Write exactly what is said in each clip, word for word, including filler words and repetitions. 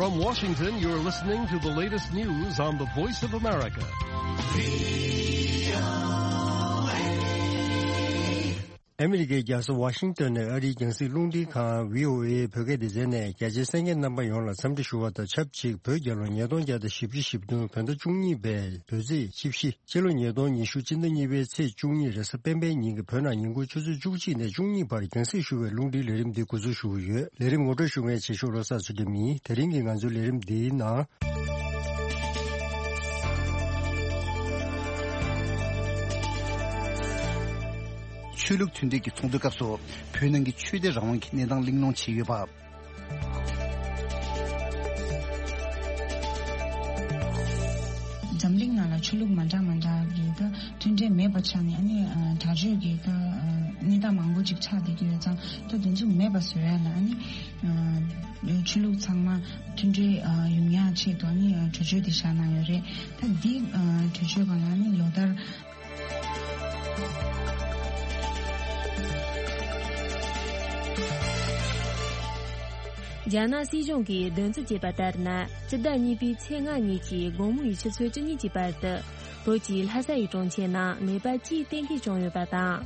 From Washington, you're listening to the latest news on the Voice of America. ཨ་མི་རི་ཀའི་རྒྱལ་ས་ཝ་ཤིང་ཏོན་ནས་ཨ་རིའི་རྒྱང་སྲིང་རླུང་འཕྲིན་ཁང་བྷི་ཨོ་ཨེ་བོད་སྐད་སྡེ་ཚན་ནས་རྒྱ་ཆེའི་གསན་མཁན་རྣམ་པ་ཡོངས་ལ་འཚམས་འདྲི་ཞུ་བ་དང་ཆབས་ཅིག་བོད་རྒྱལ་ལོ་ཉིས་སྟོང་བརྒྱ་དང་བཞི་བཅུ་ཞེ་བདུན་བོད་ཟླ་བཅུ་གཉིས་པའི་བོད་ཚེས་བཅུ་བཞི། སྤྱི་ལོ་ཉིས་སྟོང་ཉི་ཤུ་སྤྱི་ཟླ་གཉིས་པའི་ཚེས་བཅུ་གཉིས་རེས་གཟའ་སྤེན་པའི་ཉིན་གྱི་བོད་ནང་ཉིན་གུང་ཆུ་ཚོད་བཅུ་གཅིག་ནས་བཅུ་གཉིས་བར་རྒྱང་སྲིང་ཞུ་བའི་རླུང་འཕྲིན་ལས་རིམ་འདི་འགོ་འཛུགས་ཞུ་གི་ཡོད། ལས་རིམ་ངོ་སྤྲོད་ཞུ་མཁན་ཆེ་ཤོས་བློ་བཟང་ཚུལ་ཁྲིམས་ཡིན། དེ་རིང་གི་ང་ཚོའི་ལས་རིམ་འདིའི་ནང་། ཆོས་ལུགས་མཐུན་སྒྲིལ་གྱི་ཚོགས་འདུའི་སྐབས་སུ་བོད་ནང་གི་ཆོས་དད་རང་དབང་གི་གནས་སྟངས་གླེང་སློང་བྱས་ཡོད་པ། འཛམ་གླིང་ནང་ལ་ཆོས་ལུགས་མ་འདྲ་མ་འདྲ་གི་ད་མཐུན་འབྲེལ་མེད་པ་ཆགས་ནས་ཨ་ནི་ཨ་དྲག་སྤྱོད་ཀྱི་ད་ཨ་གནས་སྟངས་མང་པོ་ཅིག་ཆགས་བསྡད་ཀྱི་ཡོད་ཙང་ད་དེ་ཚོ་མེད་པ་བཟོ་ཡ་ལ་ཨ་ནི་ཨ་ཆོས་ལུགས་ཚང་མ་མཐུན་འབྲེལ་ཨ་ཡོང་ཡ་ཆེད་དུ་ཨ་ནི་ཨ་གྲོས་ཆོད་དེ་བཞག་གནང་ཡོད་རེད། ད་འདི་ཨ་གྲོས་ཆོད་སྒང་ལ་ཨ་ནི་ལོ་ལྟར། རྒྱ་ནག་སྲིད་གཞུང་གིས་འདོན་རྩིས་བྱས་པ་ལྟར་ན། སྤྱི་ཟླ་གཉིས་པའི་ཚེས་ལྔ་ཉིན་གྱི་དགོང་མོ་ཡི་ཆུ་ཚོད་བཅུ་གཉིས་ཀྱི་བར་དུ། བོད་ཀྱི་ལྷ་ས་ཡི་གྲོང་ཁྱེར་ནང་ནད་པ་གཅིག་གཏན་འཁེལ་བྱུང་ཡོད་པ་དང་།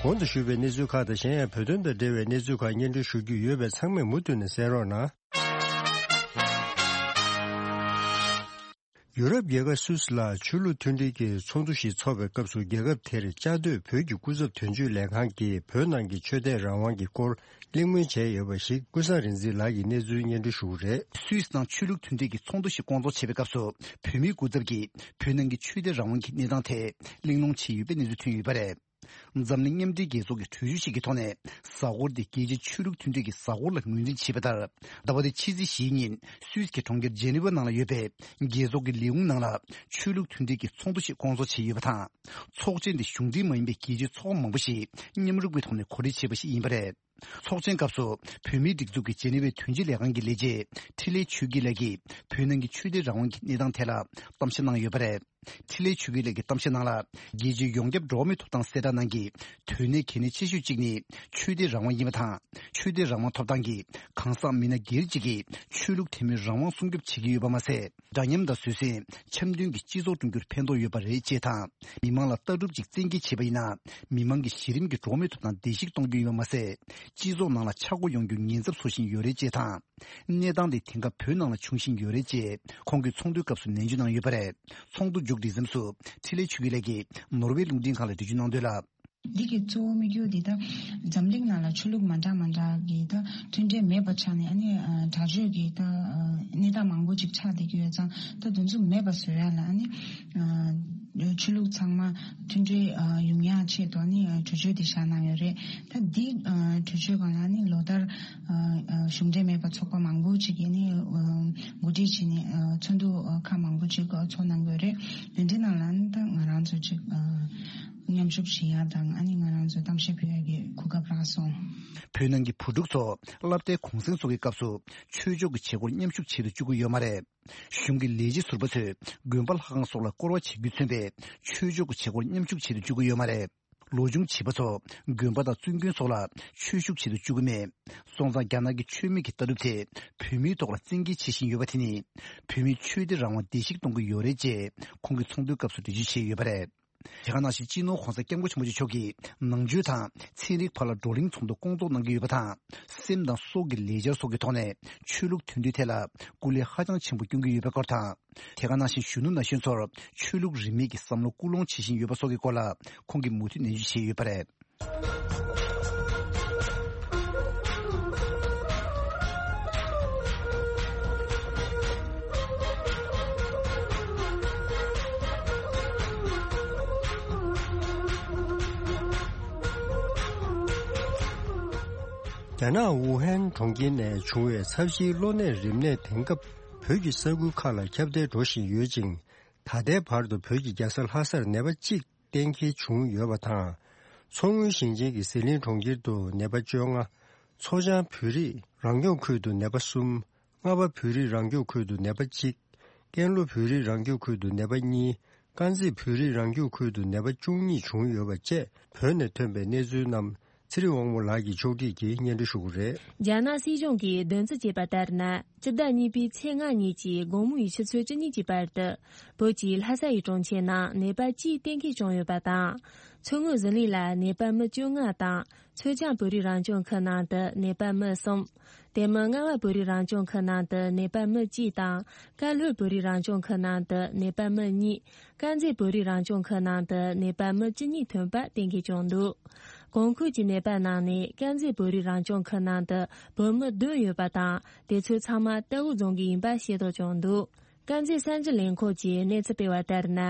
གོང་དུ་ཞུས་པའི་གནས་ཚུལ་ཁག་དང་གཞན་ཡང་བོད་དོན་དང་འབྲེལ་བའི་གནས་ཚུལ་ཁག་སྙན་སྒྲོན་ཞུ་རྒྱུ་ཡོད་པས་ཚང་མས་མུ་མཐུད་ནས་གསན་རོགས་གནང་། ཡུ་རོབ་རྒྱལ་ཁབ་སུད་སི་ལ་ཆོས་ལུགས་མཐུན་སྒྲིལ་གྱི་ཚོགས་འདུ་ཞིག་འཚོགས་པའི་སྐབས་སུ། རྒྱལ་ཁབ་དེར་བཅའ་སྡོད་བོད་ཀྱི་སྐུ་ཚབ་དོན་གཅོད་ལས་ཁང་གིས་བོད་ནང་གི་ཆོས་དད་རང་དབང་གི་སྐོར་གླེང་མོལ་བྱས་ཡོད་པ་ཞིག་ཀུན་བཟང་རིག་འཛིན་ལགས་ཀྱིས་གནས་ཚུལ་སྙན་སྒྲོན་ཞུ་གི་རེད། སུད་སི་ནང་ཆོས་ལུགས་མཐུན་སྒྲིལ་གྱི་ཚོགས་འདུ་ཞིག་བསྐོང་ཚོགས་བྱས་པའི་སྐབས་སུ། བོད་མིའི་སྐུ་ཚབ་ཀྱིས་བོད་ནང་གི་ཆོས་དད་རང་དབང་གི་གནས་སྟངས་ཐད་གླེང་སློང་བྱས་ཡོད་པའི་གནས་ཚུལ་ཐོན་ཡོད་པ་རེད། འཛམ་གླིང་མཉམ་འབྲེལ་རྒྱལ་ཚོགས་ཀྱི་གྲོས་ཆོད་ཞིག་གི་ཐོག་ནས། གཟའ་འཁོར་འདི་རྒྱལ་སྤྱིའི་ཆོས་ལུགས་མཐུན་སྒྲིལ་གྱི་གཟའ་འཁོར་ལ་ངོས་འཛིན་བྱས་པ་ལྟར། ཟླ་བ་འདིའི་ཕྱི་ཚེས་བཞིའི་ཉིན་སུད་སི་གི་གྲོང་ཁྱེར་ཇེ་ནི་ཝ་ནང་ལ་ཡོད་པའི་རྒྱལ་ཚོགས་ཀྱི་ལས་ཁུངས་ནང་ལ་ཆོས་ལུགས་མཐུན་སྒྲིལ་གྱི་ཚོགས་འདུ་ཞིག་བསྐོང་ཚོགས་བྱས་ཡོད་པ་དང་། ཚོགས་ཆེན་འདི་གཞུང་འབྲེལ་མ་ཡིན་པའི་རྒྱལ་སྤྱིའི་ཚོགས་པ་མང་པོ་ཞིག་མཉམ་རུབ་ཀྱི་ཐོག་ནས་གོ་སྒྲིག་བྱས་པ་ཞིག་ཡིན་པ་རེད། ཚོགས་ཆེན་སྐབས་སུ་བོད་མིའི་སྒྲིག་འཛུགས་ཀྱི་ཇེ་ནི་ཝའི་དོན་གཅོད་ལས་ཁང་གི་ལས་བྱེད་འཕྲིན་ལས་ཆོས་སྐྱིད་ལགས་ཀྱིས་བོད་ནང་གི་ཆོས་དད་རང་དབང་གི་གནས་སྟངས་ཐད་ལ་གཏམ་བཤད་གནང་ཡོད་པ་རེད། འཕྲིན་ལས་ཆོས་སྐྱིད་ལགས་ཀྱི་གཏམ་བཤད་ནང་ལ། རྒྱལ་སྤྱིའི་ཡོངས་ཁྱབ་འགྲོ་བ་མིའི་ཐོབ་ཐང་གསལ་བསྒྲགས་ནང་གི་དོན་གནད་གལ་གནད་ཆེ་ཤོས་གཅིག་ནི་ཆོས་དད་རང་དབང་ཡིན་པ་དང་། ཆོས་དད་རང་དབང་ཐོབ་ཐང་གིས་གང་ཟག་མི་སྣ་སྒེར་གཅིག་གི་ཆོས་ལུགས་དད་མོས་རང་དབང་སྲུང་སྐྱོབ་བྱེད་ཀྱི་ཡོད་པ་མ་ཟད། འདྲ་མཉམ་དང་བཟོད་བསྲན། འཆམ་མཐུན་གྱི་སྤྱི་ཚོགས་བསྐྲུན་རྒྱུར་ཕན་ཐོགས་ཡོད་པ་རེད་ཅེས་དང་། མི་མང་ལ་ལྟ་གྲུབ་ཅིག་བཙན་འགེལ་བྱས་པ་ཡིན་ན། མི་མང་གི་གཞི་རིམ་གྱི་འགྲོ་བ་མིའི་ཐོབ་ཐང་བརྡལ་བཤིག་གཏོང་རྒྱུ་ཡིན་པ་མ་ཟད། སྤྱི་ཚོགས་ནང་ལ་ཆག་སྒོ་ཡོང་རྒྱུའི་ཉེན་ཚབས་བཟོ་བཞིན་ཡོད་རེད་ཅེས་དང་། གནས་སྟངས་དེ་དེང་སྐབས་བོད་ནང་ལ་བྱུང་བཞིན་ཡོད་རེད་ཅེས་ཁོང་གིས་ཚོགས་འདུའི་སྐབས་སུ་ནན་བརྗོད་གནང་ཡོད་པ་རེད། ཚོགས་འདུ་མཇུག་སྒྲིལ་མཚམས་སུ་འཕྲིན་ལས་ཆོས་སྐྱིད་ལགས་ཀྱིས་ནོར་ཝེ་རླུང་འཕྲིན་ཁང་ལ་འགྲེལ་བརྗོད་གནང་དོན་ལ། འདི་གི་གཙོ་བོ་དམིགས་ཡུལ་འདི་ད་འཛམ་གླིང་ནང་ལ་ཆོས་ལུགས་མ་འདྲ་མ་འདྲ་གི་ད་མཐུན་འབྲེལ་མེད་པ་ཆགས་ནས་ཨ་ནི་ཨ་དྲག་སྤྱོད་ཀྱི་ད་ཨ་གནས་སྟངས་མང་པོ་ཅིག་ཆགས་བསྡད་ཀྱི་ཡོད་ཙང་ད་དེ་ཚོ་མེད་པ་བཟོ་ཡ་ལ་ཨ་ནི་ཨ་ཆོས་ལུགས་ཚང་མ་མཐུན་འབྲེལ་ཨ་ཡོང་ཡ་ཆེད་དུ་ཨ་ནི་ཨ་གྲོས་ཆོད་དེ་བཞག་གནང་ཡོད་རེད། ད་འདི་ཨ་གྲོས་ཆོད་སྒང་ལ་ཨ་ནི་ལོ་ལྟར་ཨ་ཨ་གཞུང་འབྲེལ་མེད་པ་ཚོགས་པ་མང་པོ་ཅིག་གིས་ཨ་ནི་ཨ་གོ་སྒྲིག་བྱས་ནས་ཨ་ཚོགས་འདུ་ཨ་ཁག་མང་པོ་ཅིག་ཨ་ཚོགས་གནང་གི་ཡོད་རེད། དེ་འདྲའི་ནང་ལ་ཨ་ནི་ད་ང་རང་ཚོ་ཅིག་ཨ། མཉམ་ཞུགས་བྱེད་ཡ་དང་ཨ་ནི་ང་རང་ཚོ་གཏམ་བཤད་ཕུལ་ཡ་གི་གོ་སྐབས་རག་སོང་། བོད་ནང་གི་བུ་ཕྲུག་ཚོ་སློབ་གྲྭའི་གུང་སེང་སོགས་ཀྱི་སྐབས་སུ་ཆོས་ཕྱོགས་ཀྱི་བྱེད་སྒོར་མཉམ་ཞུགས་བྱེད་དུ་བཅུག་གི་ཡོད་མ་རེད། གཞུང་གི་ལས་བྱེད་ཟུར་པ་ཚོས་དགོན་པ་ལྷ་ཁང་སོགས་ལ་སྐོར་བ་བྱེད་རྒྱུས་མཚོན་པའི་ཆོས་ཕྱོགས་ཀྱི་བྱེད་སྒོར་མཉམ་ཞུགས་བྱེད་དུ་བཅུག་གི་ཡོད་མ་རེད། ལོ་ཆུང་བྱིས་པ་ཚོ་དགོན་པ་དང་བཙུན་དགོན་སོགས་ལ་ཆོས་ཞུགས་བྱེད་དུ་བཅུག་གི་མེད། སོང་ཙང་རྒྱ་ནག་གི་ཆོས་མེད་ཀྱི་ལྟ་གྲུབ་དེ་བོད་མིའི་ཐོག་ལ་བཙན་འགེལ་བྱེད་བཞིན་ཡོད་པ་དེ་ནི་བོད་མིའི་ཆོས་དད་རང་དབང་བརྡལ་བཤིག་གཏོང་གི་ཡོད་རེད་ཅེས་ཁོང་གིས་ཚོགས་འདུའི་སྐབས་སུ་འགྲེལ་བརྗོད་བྱས་ཡོད་པ་རེད། དེ་ག་ནང་བཞིན་སྤྱི་ནོར་༧གོང་ས་༧སྐྱབས་མགོན་ཆེན་པོ་མཆོག་གིས་ནང་ཆོས་དང་ཚན་རིག་བར་ལ་བགྲོ་གླེང་ཚོགས་འདུ་བསྐོང་ཚོགས་གནང་གི་ཡོད་པ་དང་། སེམས་དང་སྲོག་གི་ལས་འཆར་སོགས་ཀྱི་ཐོག་ནས་ཆོས་ལུགས་མཐུན་སྒྲིལ་ཐད་ལ་སྐུ་ལས་ཧ་ཅང་ཆེན་པོ་བསྐྱོན་གྱི་ཡོད་པའི་སྐོར་དང་། དེ་ག་ནང་བཞིན་གཞོན་ནུ་ན་གཞོན་ཚོར་ཆོས་ལུགས་རིས་མེད་ཀྱི་བསམ་བློ་སྐུལ་སློང་བྱེད་བཞིན་ཡོད་པ་སོགས་ཀྱི་སྐོར་ལ་ཁོང་གིས་མུ་མཐུད་ནན་བརྗོད་བྱས་ཡོད་པ་རེད། རྒྱ་ནག་ཝུ་ཧན་གྲོང་ཁྱེར་ནས་བྱུང་བའི་ཚབས་ཆེའི་གློ་ནད་རིམས་ནད་དེང་སྐབས་བོད་ཀྱི་ས་ཁུལ་ཁག་ལ་ཁྱབ་གདལ་འགྲོ་བཞིན་ཡོད་ཅིང་། ད་ལྟའི་བར་དུ་བོད་ཀྱི་རྒྱལ་ས་ལྷ་སར་ནད་པ་གཅིག་གཏན་འཁེལ་བྱུང་ཡོད་པ་དང་། མཚོ་སྔོན་ཞིང་ཆེན་གྱི་ཟི་ལིང་གྲོང་ཁྱེར་དུ་ནད་པ་བཅོ་ལྔ། མཚོ་བྱང་བོད་རིགས་རང་སྐྱོང་ཁུལ་དུ་ནད་པ་གསུམ། རྔ་པ་བོད་རིགས་རང་སྐྱོང་ཁུལ་དུ་ནད་པ་གཅིག། ཀན་ལྷོ་བོད་རིགས་རང་སྐྱོང་ཁུལ་དུ་ནད་པ་གཉིས། དཀར་མཛེས་བོད་རིགས་རང་སྐྱོང་ཁུལ་དུ་ནད་པ་བཅུ་གཉིས་བྱུང་ཡོད་པ་བཅས་བོད་ནས་ཐོན་པའི་གནས་ཚུལ་རྣམས་ ཚེ་རིང་དབང་མོ་ལགས་ཀྱིས་ཕྱོགས་སྒྲིག་གིས་སྙན་སྒྲོན་ཞུ་གི་རེད། རྒྱ་ནག་སྲིད་གཞུང་གིས་བདུན་ཚོད་བྱས་པ་ལྟར་ན། སྤྱི་ཟླ་གཉིས་པའི་ཚེས་ལྔ་ཉིན་གྱི་དགོང་མོའི་ཆུ་ཚོད་བཅུ་གཉིས་ཀྱི་བར་དུ། བོད་ཀྱི་ལྷ་ས་ཡི་གྲོང་ཁྱེར་ནང་ནད་པ་གཅིག་གཏན་འཁེལ་བྱུང་ཡོད་པ་དང་། མཚོ་སྔོན་ཟི་ལིང་ལ་ནད་པ་མི་བཅོ་ལྔ་དང་། མཚོ་བྱང་བོད་རིགས་རང་སྐྱོང་ཁུལ་ནང་དུ་ནད་པ་མི་གསུམ། དེ་མིན་རྔ་བ་བོད་རིགས་རང་སྐྱོང་ཁུལ་ནང་དུ་ནད་པ་མི་གཅིག་དང་། ཀན་ལྷོ་བོད་རིགས་རང་སྐྱོང་ཁུལ་ནང་དུ་ནད་པ་མི་གཉིས། དཀར་མཛེས་བོད་རིགས་རང་སྐྱོང་ཁུལ་ནང་དུ་ནད་པ་མི་བཅུ་གཉིས་ཐོན་པ་གཏན་འཁེལ་བྱུང་འདུག། གོང་འཁོད་ཀྱི་ནད་པ་ནང་ནས་དཀར་མཛེས་བོད་རིགས་རང་སྐྱོང་ཁུལ་ནང་དུ་བོད་མི་བདུན་ཡོད་པ་དང་། དེ་ཚོ་ཚང་མ་རྟའུ་རྫོང་གི་ཡིན་པ་ཤེས་རྟོགས་བྱུང་འདུག། དཀར་མཛེས་གསར་འགྱུར་ལས་ཁུངས་ཀྱིས་གནས་ཚུལ་སྤེལ་བ་ལྟར་ན།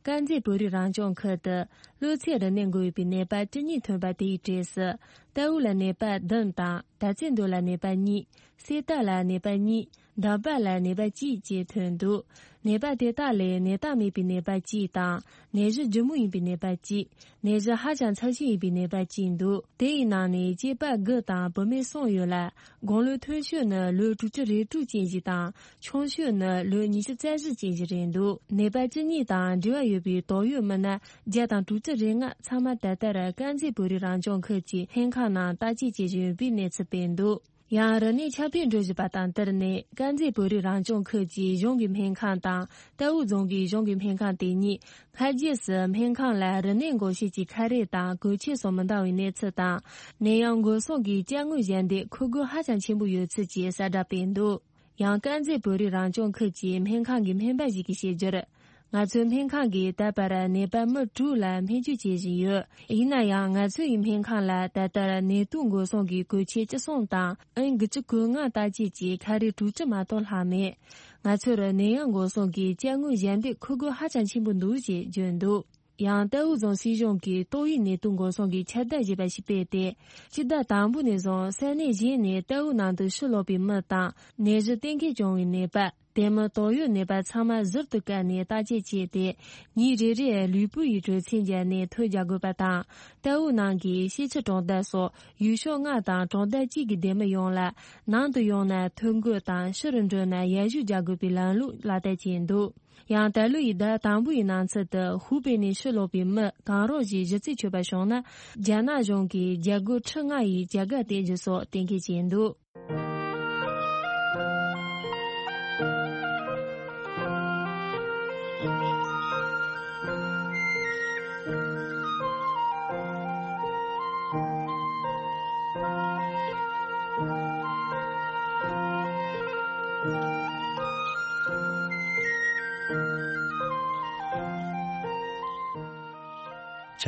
དཀར་མཛེས་བོད་རིགས་རང་སྐྱོང་ཁུལ་དུ་གློ་ཚད་རིམས་ནད་འགོས་ཡོད་པའི་ནད་པ་བཅུ་གཉིས་ཐོན་པ་དེའི་གྲས་སུ། རྟའུ་ལ་ནད་པ་བདུན་དང་། དར་རྩེ་མདོ་ལ་ནད་པ་གཉིས། སེ་ཏ་ལ་ནད་པ་གཉིས། འདམ་པ་ལ་ནད་པ་གཅིག་བཅས་ཐོན་འདུག། ནད་པ་དེ་དག་ལས་ནད་རྟགས་མེད་པའི་ནད་པ་གཅིག་དང་། ནད་གཞི་ལྗིད་མོ་ཡིན་པའི་ནད་པ་གཅིག། ནད་གཞི་ཧ་ཅང་ཚབས་ཆེན་ཡིན་པའི་ནད་པ་གཅིག་འདུག། དེ་ཡི་ནང་ནས་སྐྱེས་པ་དགུ་དང་བུད་མེད་གསུམ་ཡོད་ལ། དགུང་ལོ་མཐོ་ཤོས་ནི་ལོ་དྲུག་ཅུ་རེ་དྲུག་ཅན་ཞིག་དང་། ཆུང་ཤོས་ནི་ལོ་ཉི་ཤུ་རྩ་བཞི་ཅན་ཞིག་རེད་འདུག། ནད་པ་བཅུ་གཉིས་དང་འབྲེལ་བ་ཡོད་པའི་དོགས་ཡོད་མི་སྣ་བརྒྱ་དང་དྲུག་ཅུ་རེ་ལྔ་ཚང་མ་ད་ལྟར་དཀར་མཛེས་བོད་རིགས་རང་སྐྱོང་ཁུལ་གྱི་སྨན་ཁང་ནང་བརྟག་དཔྱད་བྱེད་བཞིན་ཡོད་པའི་གནས་ཚུལ་སྤེལ་འདུག། ཡང་རིམས་ནད་ཁྱབ་སྤེལ་འགྲོ་བཞིན་པ་དང་བསྟུན་ནས། དཀར་མཛེས་བོད་རིགས་རང་སྐྱོང་ཁུལ་གྱི་གཞུང་གི་སྨན་ཁང་དང་། རྟའུ་རྫོང་གི་གཞུང་གི་སྨན་ཁང་དེ་གཉིས། སྔ་རྗེས་སུ་སྨན་ཁང་ལ་རིམས་ནད་འགོག་བྱེད་ཀྱི་ཁ་རས་དང་གོས་ཆས་སོགས་མི་འདང་བའི་གནས་ཚུལ་དང་། ནད་ཡམས་འགོག་སྲུང་གི་ཅ་དངོས་གཞན་དེ་མཁོ་དགོས་ཧ་ཅང་ཆེན་པོ་ཡོད་ཚུལ་གྱི་གསལ་བསྒྲགས་སྤེལ་འདུག། ཡང་དཀར་མཛེས་བོད་རིགས་རང་སྐྱོང་ཁུལ་གྱི་སྨན་ཁང་གི་སྨན་པ་ཞིག་གིས་བཤད་རྒྱུར། ང་ཚོའི་སྨན་ཁང་གིས་ད་བར་ནད་པ་མི་དྲུག་ལ་སྨན་བཅོས་བྱེད་བཞིན་ཡོད། ཡིན་ན་ཡང་ང་ཚོ་ཡི་སྨན་ཁང་ལ་ད་ལྟར་ནད་དུག་འགོག་སྲུང་གི་གོས་ཆས་བཅུ་གསུམ་དང་ཨེན་དགུ་བཅུ་གོ་ལྔ་བརྟག་དཔྱད་ཀྱི་ཁ་རས་དྲུག་ཅུ་མ་གཏོགས་ལྷག་མེད། ང་ཚོར་ནད་ཡམས་འགོག་སྲུང་གི་ཅ་དངོས་གཞན་དེ་མཁོ་དགོས་ཧ་ཅང་ཆེན་པོ་འདུག་ཅེས་བརྗོད་འདུག། ཡང་རྟའུ་རྫོང་སྲིད་གཞུང་གིས་ཏོག་དབྱིབས་ནད་དུག་འགོག་སྲུང་གི་ཁྱབ་གདལ་ཞེས་པ་ཞིག་སྤེལ་ཏེ། སྤྱི་ཟླ་དང་པོ་ནས་བཟུང་ས་གནས་གཞན་ནས་རྟའུ་ནང་དུ་ཕྱིར་ལོག་པའི་མི་དང་ནད་གཞི་གཏན་འཁེལ་བྱུང་བའི་ནད་པ། དེ་མིན་དོགས་ཡོད་ནད་པ་ཚང་མ་ཟུར་དུ་བཀར་ནས་བརྟག་དཔྱད་བྱས་ཏེ། ཉིན་རེ་རེར་ལུས་པོ་ཡི་དྲོད་ཚད་འཇལ་ནས་ཐོ་རྒྱག་དགོས་པ་དང་། རྟའུ་ནང་གི་ཤེས་ཆུ་གྲོང་རྡལ་སོགས་ཡུལ་ཤོག་ལྔ་དང་གྲོང་རྡལ་གཅིག་གི་སྡེ་མི་ཡོངས་ལ་ནང་དུ་ཡོང་ན་ཐོ་འགོད་དང་ཕྱི་རུ་འགྲོ་ན་ཡར་ཞུ་རྒྱག་དགོས་པའི་ལམ་ལུགས་ལག་བསྟར་བྱས་འདུག། ཡང་ད་ལོ་ཡི་ཟླ་དང་པོ་ཡི་ནང་ཚུད་དུ་ཧུའུ་པེ་ནས་ཕྱིར་ལོག་པའི་མི་གང་རུང་ཞིག་གཞི་རྩའི་ཆད་པ་བྱུང་ན། རྒྱ་ནག་གཞུང་གིས་རྒྱ་སྒོར་ཁྲི་ལྔ་ཡི་བྱ་དགའ་སྟེར་རྒྱུ་སོགས་གཏན་འཁེལ་བྱས་འདུག།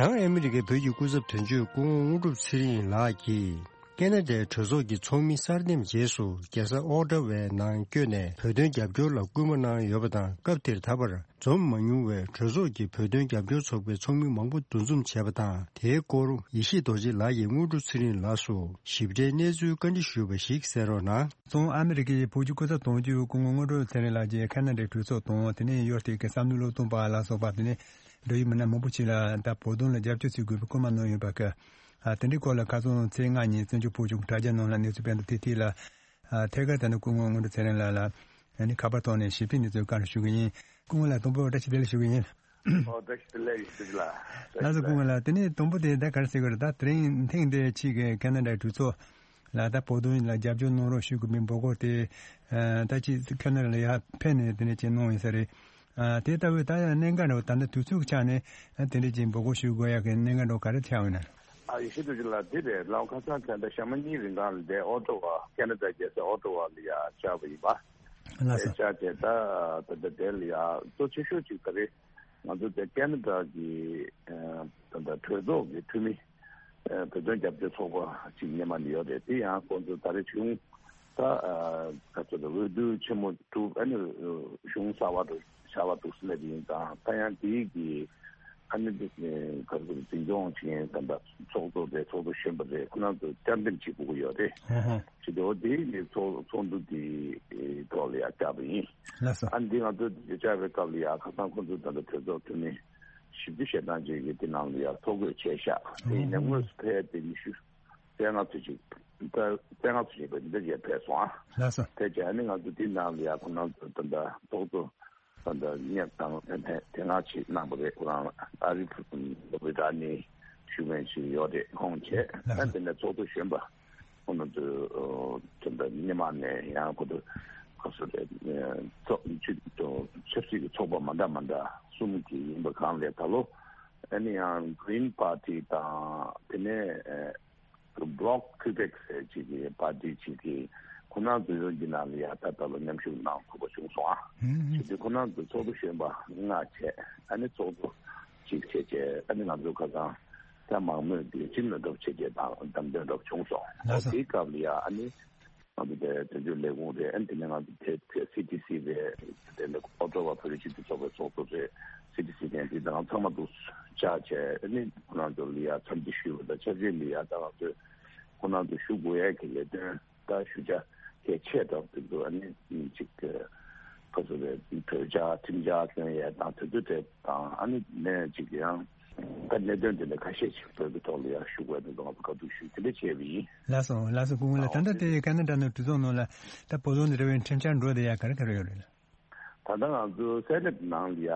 བྱང་ཨ་མི་རི་ཀའི་བོད་ཀྱི་སྐུ་ཚབ་དོན་གཅོད་སྐུ་ངོ་དངོས་གྲུབ་ཚེ་རིང་ལགས་ཀྱིས། ཁེ་ན་ཌའི་གྲོས་ཚོགས་ཀྱི་ཚོགས་མི་གསར་འདེམས་རྗེས་སུ་རྒྱལ་ས་ཨོ་ཊ་ཝའི་ནང་བསྐྱོད་ནས་བོད་དོན་རྒྱབ་སྐྱོར་ལ་སྐུལ་མ་གནང་ཡོད་པ་དང་། སྐབས་དེར་ད་བར་འཛོམས་མ་མྱོང་བའི་གྲོས་ཚོགས་ཀྱི་བོད་དོན་རྒྱབ་སྐྱོར་ཚོགས་པའི་ཚོགས་མི་མང་པོ་འདུ་འཛོམས་བྱས་པ་དང་། དེའི་སྐོར་ཡེ་ཤེས་རྡོ་རྗེ་ལགས་ཀྱིས་དངོས་གྲུབ་ཚེ་རིང་ལགས་སུ་ཞིབ་ཕྲའི་གནས་ཚུལ་བཀའ་འདྲི་ཞུས་པ་ཞིག་གསན་རོགས་གནང་། བཙན་བྱོལ་ཨ་མི་རི་ཀའི་བོད་ཀྱི་སྐུ་ཚབ་དོན་གཅོད་སྐུ་ངོ་དངོས་གྲུབ་ཚེ་རིང་ལགས་ཀྱིས་ཁེ་ན་ཌའི་གྲོས་ཚོགས་དང་། དེ་ནས་ཡུ་ཨེས་ཨེ་ཤི་ཡའི་བསམ་བློ་བློས་གཏོང་པ་ལ་སོགས་པ། དེ་ནས་འབྲེལ་ཡོད་མི་སྣ་མང་པོ་ཞིག་ལ་ད་བོད་དོན་ལ་རྒྱབ་སྐྱོར་བྱེད་དགོས་པའི་སྐུལ་མ་གནང་ཡོད་པ་གི། ཨ། དེ་འདྲའི་སྐོར་ལ་ཁ་སང་ཚེས་ལྔ་ཉིན་བཙན་བྱོལ་བོད་གཞུང་དྲ་རྒྱ་ནང་ལ་གནས་ཚུལ་སྤེལ་འདུག། དེ་དེ་ལ། ཨ། ཐད་ཀར་ད་ནི་སྐུ་ངོ་དངོས་གྲུབ་ཚེ་རིང་ལགས་ལ་ཨ་ནི་ཁ་པར་ཐོག་ནས་ཞིབ་ཕྲའི་གནས་ཚུལ་བཀའ་འདྲི་ཞུ་གི་ཡིན། སྐུ་ངོ་ལགས་དང་པོ་བཀྲ་ཤིས་བདེ་ལེགས་ཞུ་གི་ཡིན། ཨོ། བཀྲ་ཤིས་བདེ་ལེགས་ཡིན་ཟེར་གྱི་ལ། ལགས་སོ། སྐུ་ངོ་ལགས། དེ་ནས་དང་པོ་དེ་ད་ག་རེ་ཟེར་དགོས་རེད། ད་དེ་རིང་ཐེངས་འདིའི་ཆེད་ཀྱི་ཁེ་ན་ཌའི་གྲོས་ཚོགས་ལ་ད་བོད་དོན་ལ་རྒྱབ་སྐྱོར་གནང་རོགས་ཞུ་དགོས་པའི་འབོད་སྐུལ་དེ། ཨ། ད་ཅི་ཁེ་ན་ཌ་ལ་ཡར་ཕེབས་ནས་དེ་ནས་ཅིག་གནང་ཡིན་ས་རེད། ཨ། དེ་ལྟ་བུའི་ད་གནད་འགག་འདྲ་བོ་ད་ལྟ་དུས་ཚོད་ཀྱི་ཆ་ནས་དེ་འདྲ་ཅིག་འབོད་སྐུལ་ཞུ་དགོས་ཡག་གི་གནད་འགག་འདྲ་བོ་ག་རེ་ཆགས་ཡོད་ན། ཨ། ཡེ་ཤེས་རྡོ་རྗེ་ལགས། དེ་རེད། ལའོ། ཁ་སང་ཁ་ད་ཞག་མ་གཉིས་རིང་གང་ལ་དེ་ཨོ་ཊ་ཝ། ཁེ་ན་ཌ་རྒྱལ་ས་ཨོ་ཊ་ཝ་ལ་ཡར་བཅར་བ་ཡིན་པ། ལགས་སོ། དེ་བཅར་བྱས་ད་ད་ད་དེ་ལ་ཡར་གཙོ་ཆེ་ཤོས་ཅིག་ད་རེད། ང་ཚོ་དེ་ཁེ་ན་ཌ་གི་ཨ་ད་ད་གྲོས་ཚོགས་ཀྱི་འཐུས་མི། ཨ། བོད་དོན་རྒྱབ་སྐྱོར་ཚོགས་པ་ཅིག་སྔོན་མ་ནས་ཡོད་རེད། དེ་ཡང་ཁོང་ཚོ་ད་རེས་བྱུང་ད། ཨ། ག་ཚོད་ད་འོས་བསྡུ་ཆེན་མོ་གྲུབ། ཨ་ནི་གཞུང་གསར་པ་དུ་བཞག་པ་འདུག་ཟེར་ནས་དེ་ཡིན་ཙང་། ད་ཡང་དེའི་གི་ཨ་ནི་དེ་ག་ཚོད་འཛིན་སྐྱོང་བྱེད་མཁན་ད་ད་ཚོགས་གཙོ་རེད། ཚོགས་གཙོ་གཞོན་པ་རེད། ཁོ་རང་ཚོ་བཅར་འདེམས་བྱེད་དགོས་ཀྱི་ཡོད་རེད། ཧོ་ཧོ། བྱེད་དུས་དེ་ནི་ཚོགས་ཚོགས་འདུ་དེའི་ཐོག་ལ་ཡར་བཅར་བ་ཡིན། ལགས་སོ། ཨ་ནི་དེ་ང་ཚོ་བཅར་བའི་སྐབས་ལ་ཡར་ཁ་སང་ཁོང་ཚོ་ད་ལྟ་གྲོས་ཚོགས་འཐུས་མི་བཞི་བཅུ་ཞེ་གྲངས་ཅིག་གིས་དེ་ནང་ལ་ཡར་ཐོ་འགོད་བྱས་ཤག། དེ་ཡིན་ནའི་དངོས་སུ་ཕེབས་དེ་ཉི་ཤུ་རྩ་ལྔ་ཙམ་ཅིག། རྩ་ལྔ་ཙམ་ཅིག་བས་འདི་འདྲ་ཅིག་ཕེབས་སོང་ཨ། ལགས་སོ། ཕེབས་བྱས་ཨ་ནི་ང་ཚོ་དེ་ནང་ལ་ཡར་ཁོ་རང་ཚོ་ད་ལྟ་ཚོགས་གཙོ་ད་ལྟ་སྙན་དང་ཐེངས་ཐེངས་ལྔ་ཅིག་གནང་བ་རེད། ཁོ་རང་ཨ་རི་ལོ་བི་ར་ནི། ཡུ་ཝེན་ཞིག་ཡོད་རེད། ཁོང་བྱས། ལགས་སོ། ཨ་དེ་ནས་ཚོགས་གཙོ་གཞོན་པ་ཁོང་རྣམ་ཚོས་དེ་འདྲ་སྔོན་མ་ནས་ཡང་ཁོ་ཚོ་ག་ཚོད་རེད། ཚོགས་ཆུ་ཆབ་སྲིད་ཀྱི་ཚོགས་པ་མ་འདྲ་མ་འདྲ་གསུམ་གྱི་ཡིན་པ་གང་ལས་ད་ལོ་ཨ་ནི་ཡང་Green Party་དང་དེ་ནས་Bloc Québec་ཟེར་ཅིག་གི་པར་ཏི་ཅིག་གིས་ཁོ་རང་ཚོའི་འོས་བསྡུ་ནང་ལ་ཡ་ད་ལྟ་ལ་མཉམ་ཞུགས་གནང་ཐུབ་པ་བྱུང་སོང་ཨ། ཧུམ་ཧུམ། བྱས་དུས་ཁོ་རང་ཚོ་ཚོགས་གཙོ་གཞོན་པ་ལྔ་བྱས་ཨ་ནི་ཚོགས་གཙོ་གཅིག་བྱས་བྱས་ཨ་ནི་ང་ཚོ་ཁ་སང་ད་མང་མོས་ཀྱི་སྤྱི་མོས་གྲོགས་བྱས་བྱས་དང་བདམས་ཐོན་གྲོགས་བྱུང་སོང་། ལགས་སོ། དེའི་སྐབས་ལ་ཡ་ཨ་ནི་ང་ཚོ་དེ་དོན་གཅོད་ལས་ཁུངས་རེད། ཨ་ནི་དེ་ནས་ང་ཚོ་དེ་དེ་སི་ཏི་སི་རེད། དེ་ནས་ཨོ་ཊོ་བ་བོད་རིགས་སྤྱི་མཐུན་ཚོགས་པའི་ཚོགས་གཙོ་རེད། སི་ཏི་སི་ནས་དེ་དང་ཚང་མ་འདུ་བཅར་བྱས་ཨ་ནི་ཁོ་རང་ཚོ་ལ་ཡ་འཚམས་འདྲི་ཞུས་པ་དང་ཆབས་ཅིག་ལ་ཡ་ད་ང་ཚོས་ཁོ་རང་ཚོ་ཞུ་དགོས་ཡ་གི་ལས་དོན་ད་ཞུ་བྱ་གལ་ཆེ་དྲགས་དེ་ཚོ་ཨ་ནི་ཅིག་ཁོ་ཚོ་ལ་གྲོས་འཆར་ཁྲིམས་འཆར་བཏོན་ཡས་དང་དེ་ཚོ་དེ་དང་ཨ་ནི་ནས་ཅིག་ཡང་ད་གནད་དོན་དེ་འདྲ་ཁ་ཤས་ཤིག་བོད་ཀྱི་ཐོག་ལ་ཡང་ཞུ་དགོས་དེ་ཚོ་ང་ཚོ་བཀའ་བསྡུར་ཞུས་དེ་འདྲ་བྱས་པ་ཡིན། ལགས་སོ། ལགས་སོ། སྐུ་ངོ་ལགས། ད་ལྟ་དེ་ཁ་ན་ཌ་ནང་གྲོས་ཚོགས་ནང་ལ་ད་བོད་དོན་དང་འབྲེལ་བའི་ཁྲིམས་འཆར་འགྲོ་བསྡད་ཡ་ག་རེ་ག་རེ་ཡོད་རེད། ད་ལྟ་ང་ཚོ་སེ་ནེ་ཊི་ནང་ལ་ཡ་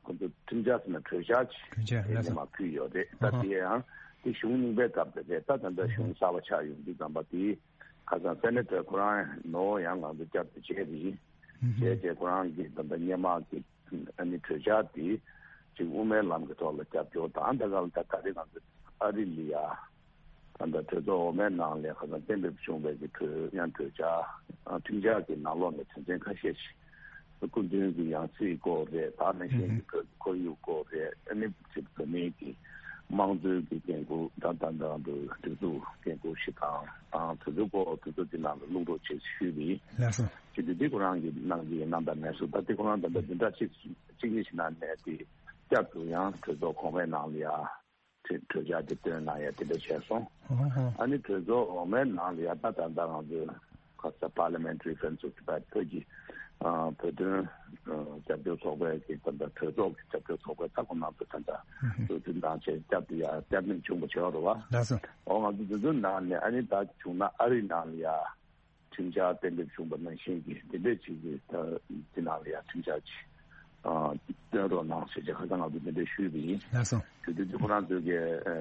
ཁོ་ཚོ་ཁྲིམས་འཆར་ཟེར་ན་གྲོས་འཆར་ཅིག་གྲོས་འཆར་དེ་ལགས་སོ། ཉི་མ་ཕུལ་ཡོད་རེད། ད་ཨ་ཧ། དེ་ཡང་དེ་གཞུང་རྙིང་པའི་སྐབས་དེ་རེད། ད་ད་ལྟ་གཞུང་གསར་པ་ཆགས་ཡོང་དུས་ཙམ་པ་དེ་ཁ་སང་སེ་ནེ་ཊར་ཁོ་རང་ནོ་ཡང་ང་ཚོ་བསྐྱར་དུ་བྱས་རེད། ཨ་ཧ། བྱས་རྗེས་ཁོ་རང་གིས་ད་ལྟ་སྔོན་མ་གི་ཨ་ནི་གྲོས་འཆར་དེ་ཅིག་དབུ་མའི་ལམ་གྱི་ཐོག་ལ་རྒྱབ་སྐྱོར་དང་ད་ག་ལ་ད་ད་རེས་ང་ཚོ་ཨ་རི་ལ་ཡ་ད་ལྟ་གྲོས་ཚོགས་འོག་མའི་ནང་ལ་ཁ་སང་གཏན་འབེབས་བྱུང་བའི་གི་གྲོས་ཡང་གྲོས་འཆར་ཁྲིམས་འཆར་གྱི་ནང་ལོགས་ནས་དོན་ཚན་ཁ་ཤས་ཤིག་སྐུ་མདུན་གྱི་ཡང་སྲིད་སྐོར་རེད། ད་ནང་བཞིན་གྱི་བོད་ཀྱི་ཁོར་ཡུག་སྐོར་རེད། ཨ་ནི་ཅིག་བོད་མིའི་གི་དམངས་གཙོའི་གི་འགན་ཁུར་ད་ད་ད་འདུ་སྒྲིག་འཛུགས་འགན་ཁུར་ཞིག་དང་དང་དེ་ཚོའི་སྐོར་དེ་ཚོ་དེ་ནང་ལ་བླུག་རོགས་བྱེད་ཞུས་པ་ཡིན། ལགས་སོ། ཅིག་དེ་དེ་ཁོ་རང་གི་གནང་གི་ཡིན་གནང་དང་མེད་སོ། ད་དེ་ཁོ་རང་ད་ལྟ་བདུན་ཕྲག་གཅིག་གཅིག་གཉིས་ཤིག་ནང་ནས་དེ་བསྐྱར་དུ་ཡང་གྲོས་ཚོགས་གོང་མའི་ནང་ལ་ཡ་གྲོས་གྲོས་འཆར་དེ་བཏོན་གནང་ཡ་དེ་འདྲ་བྱས་སོང་། ཨོ་ཧོ། ཨ་ནི་གྲོས་ཚོགས་འོག་མའི་ནང་ལ་ཡ་ད་ད་ལྟ་ང་ཚོས་ཁ་ས་Parliamentary Friends of Tibet བོད་ཀྱི་ཨ་བོད་དོན་ཨ་རྒྱབ་སྐྱོར་ཚོགས་པའི་གི་ད་ལྟ་གྲོས་ཚོགས་ཀྱི་རྒྱབ་སྐྱོར་ཚོགས་པའི་ད་ཁོ་ང་ཚོ་ད་ལྟ་ཨུ་ཧུ། གྲོས་མཐུན་དང་བཅས་བསྐྱར་དུ་ཡ་བསྐྱར་བསྟན་བྱུང་བ་བྱས་པ་རེད་བ། ལགས་སོ། འོ་ང་ཚོ་དེ་ཚོའི་ནང་ནས་ཨ་ནི་ད་བྱུང་ན་ཨ་རིའི་ནང་ལ་ཡ། ཁྲིམས་འཆར་གཏན་འབེབས་བྱུང་བ་ནང་བཞིན་གྱི་དེ་འདྲས་ཅིག་གི་ད་དེ་ནང་ལ་ཡང་ཁྲིམས་འཆར་ཅིག་ཨ་བཏོན་རོགས་གནང་ཞེས་བྱས་ཁ་སང་ང་ཚོ་དེ་འདྲས་ཞུས་པ་ཡིན། ལགས་སོ། དེ་དུས་དེ་ཁོ་རང་ཚོས་ཀྱི་ཨ་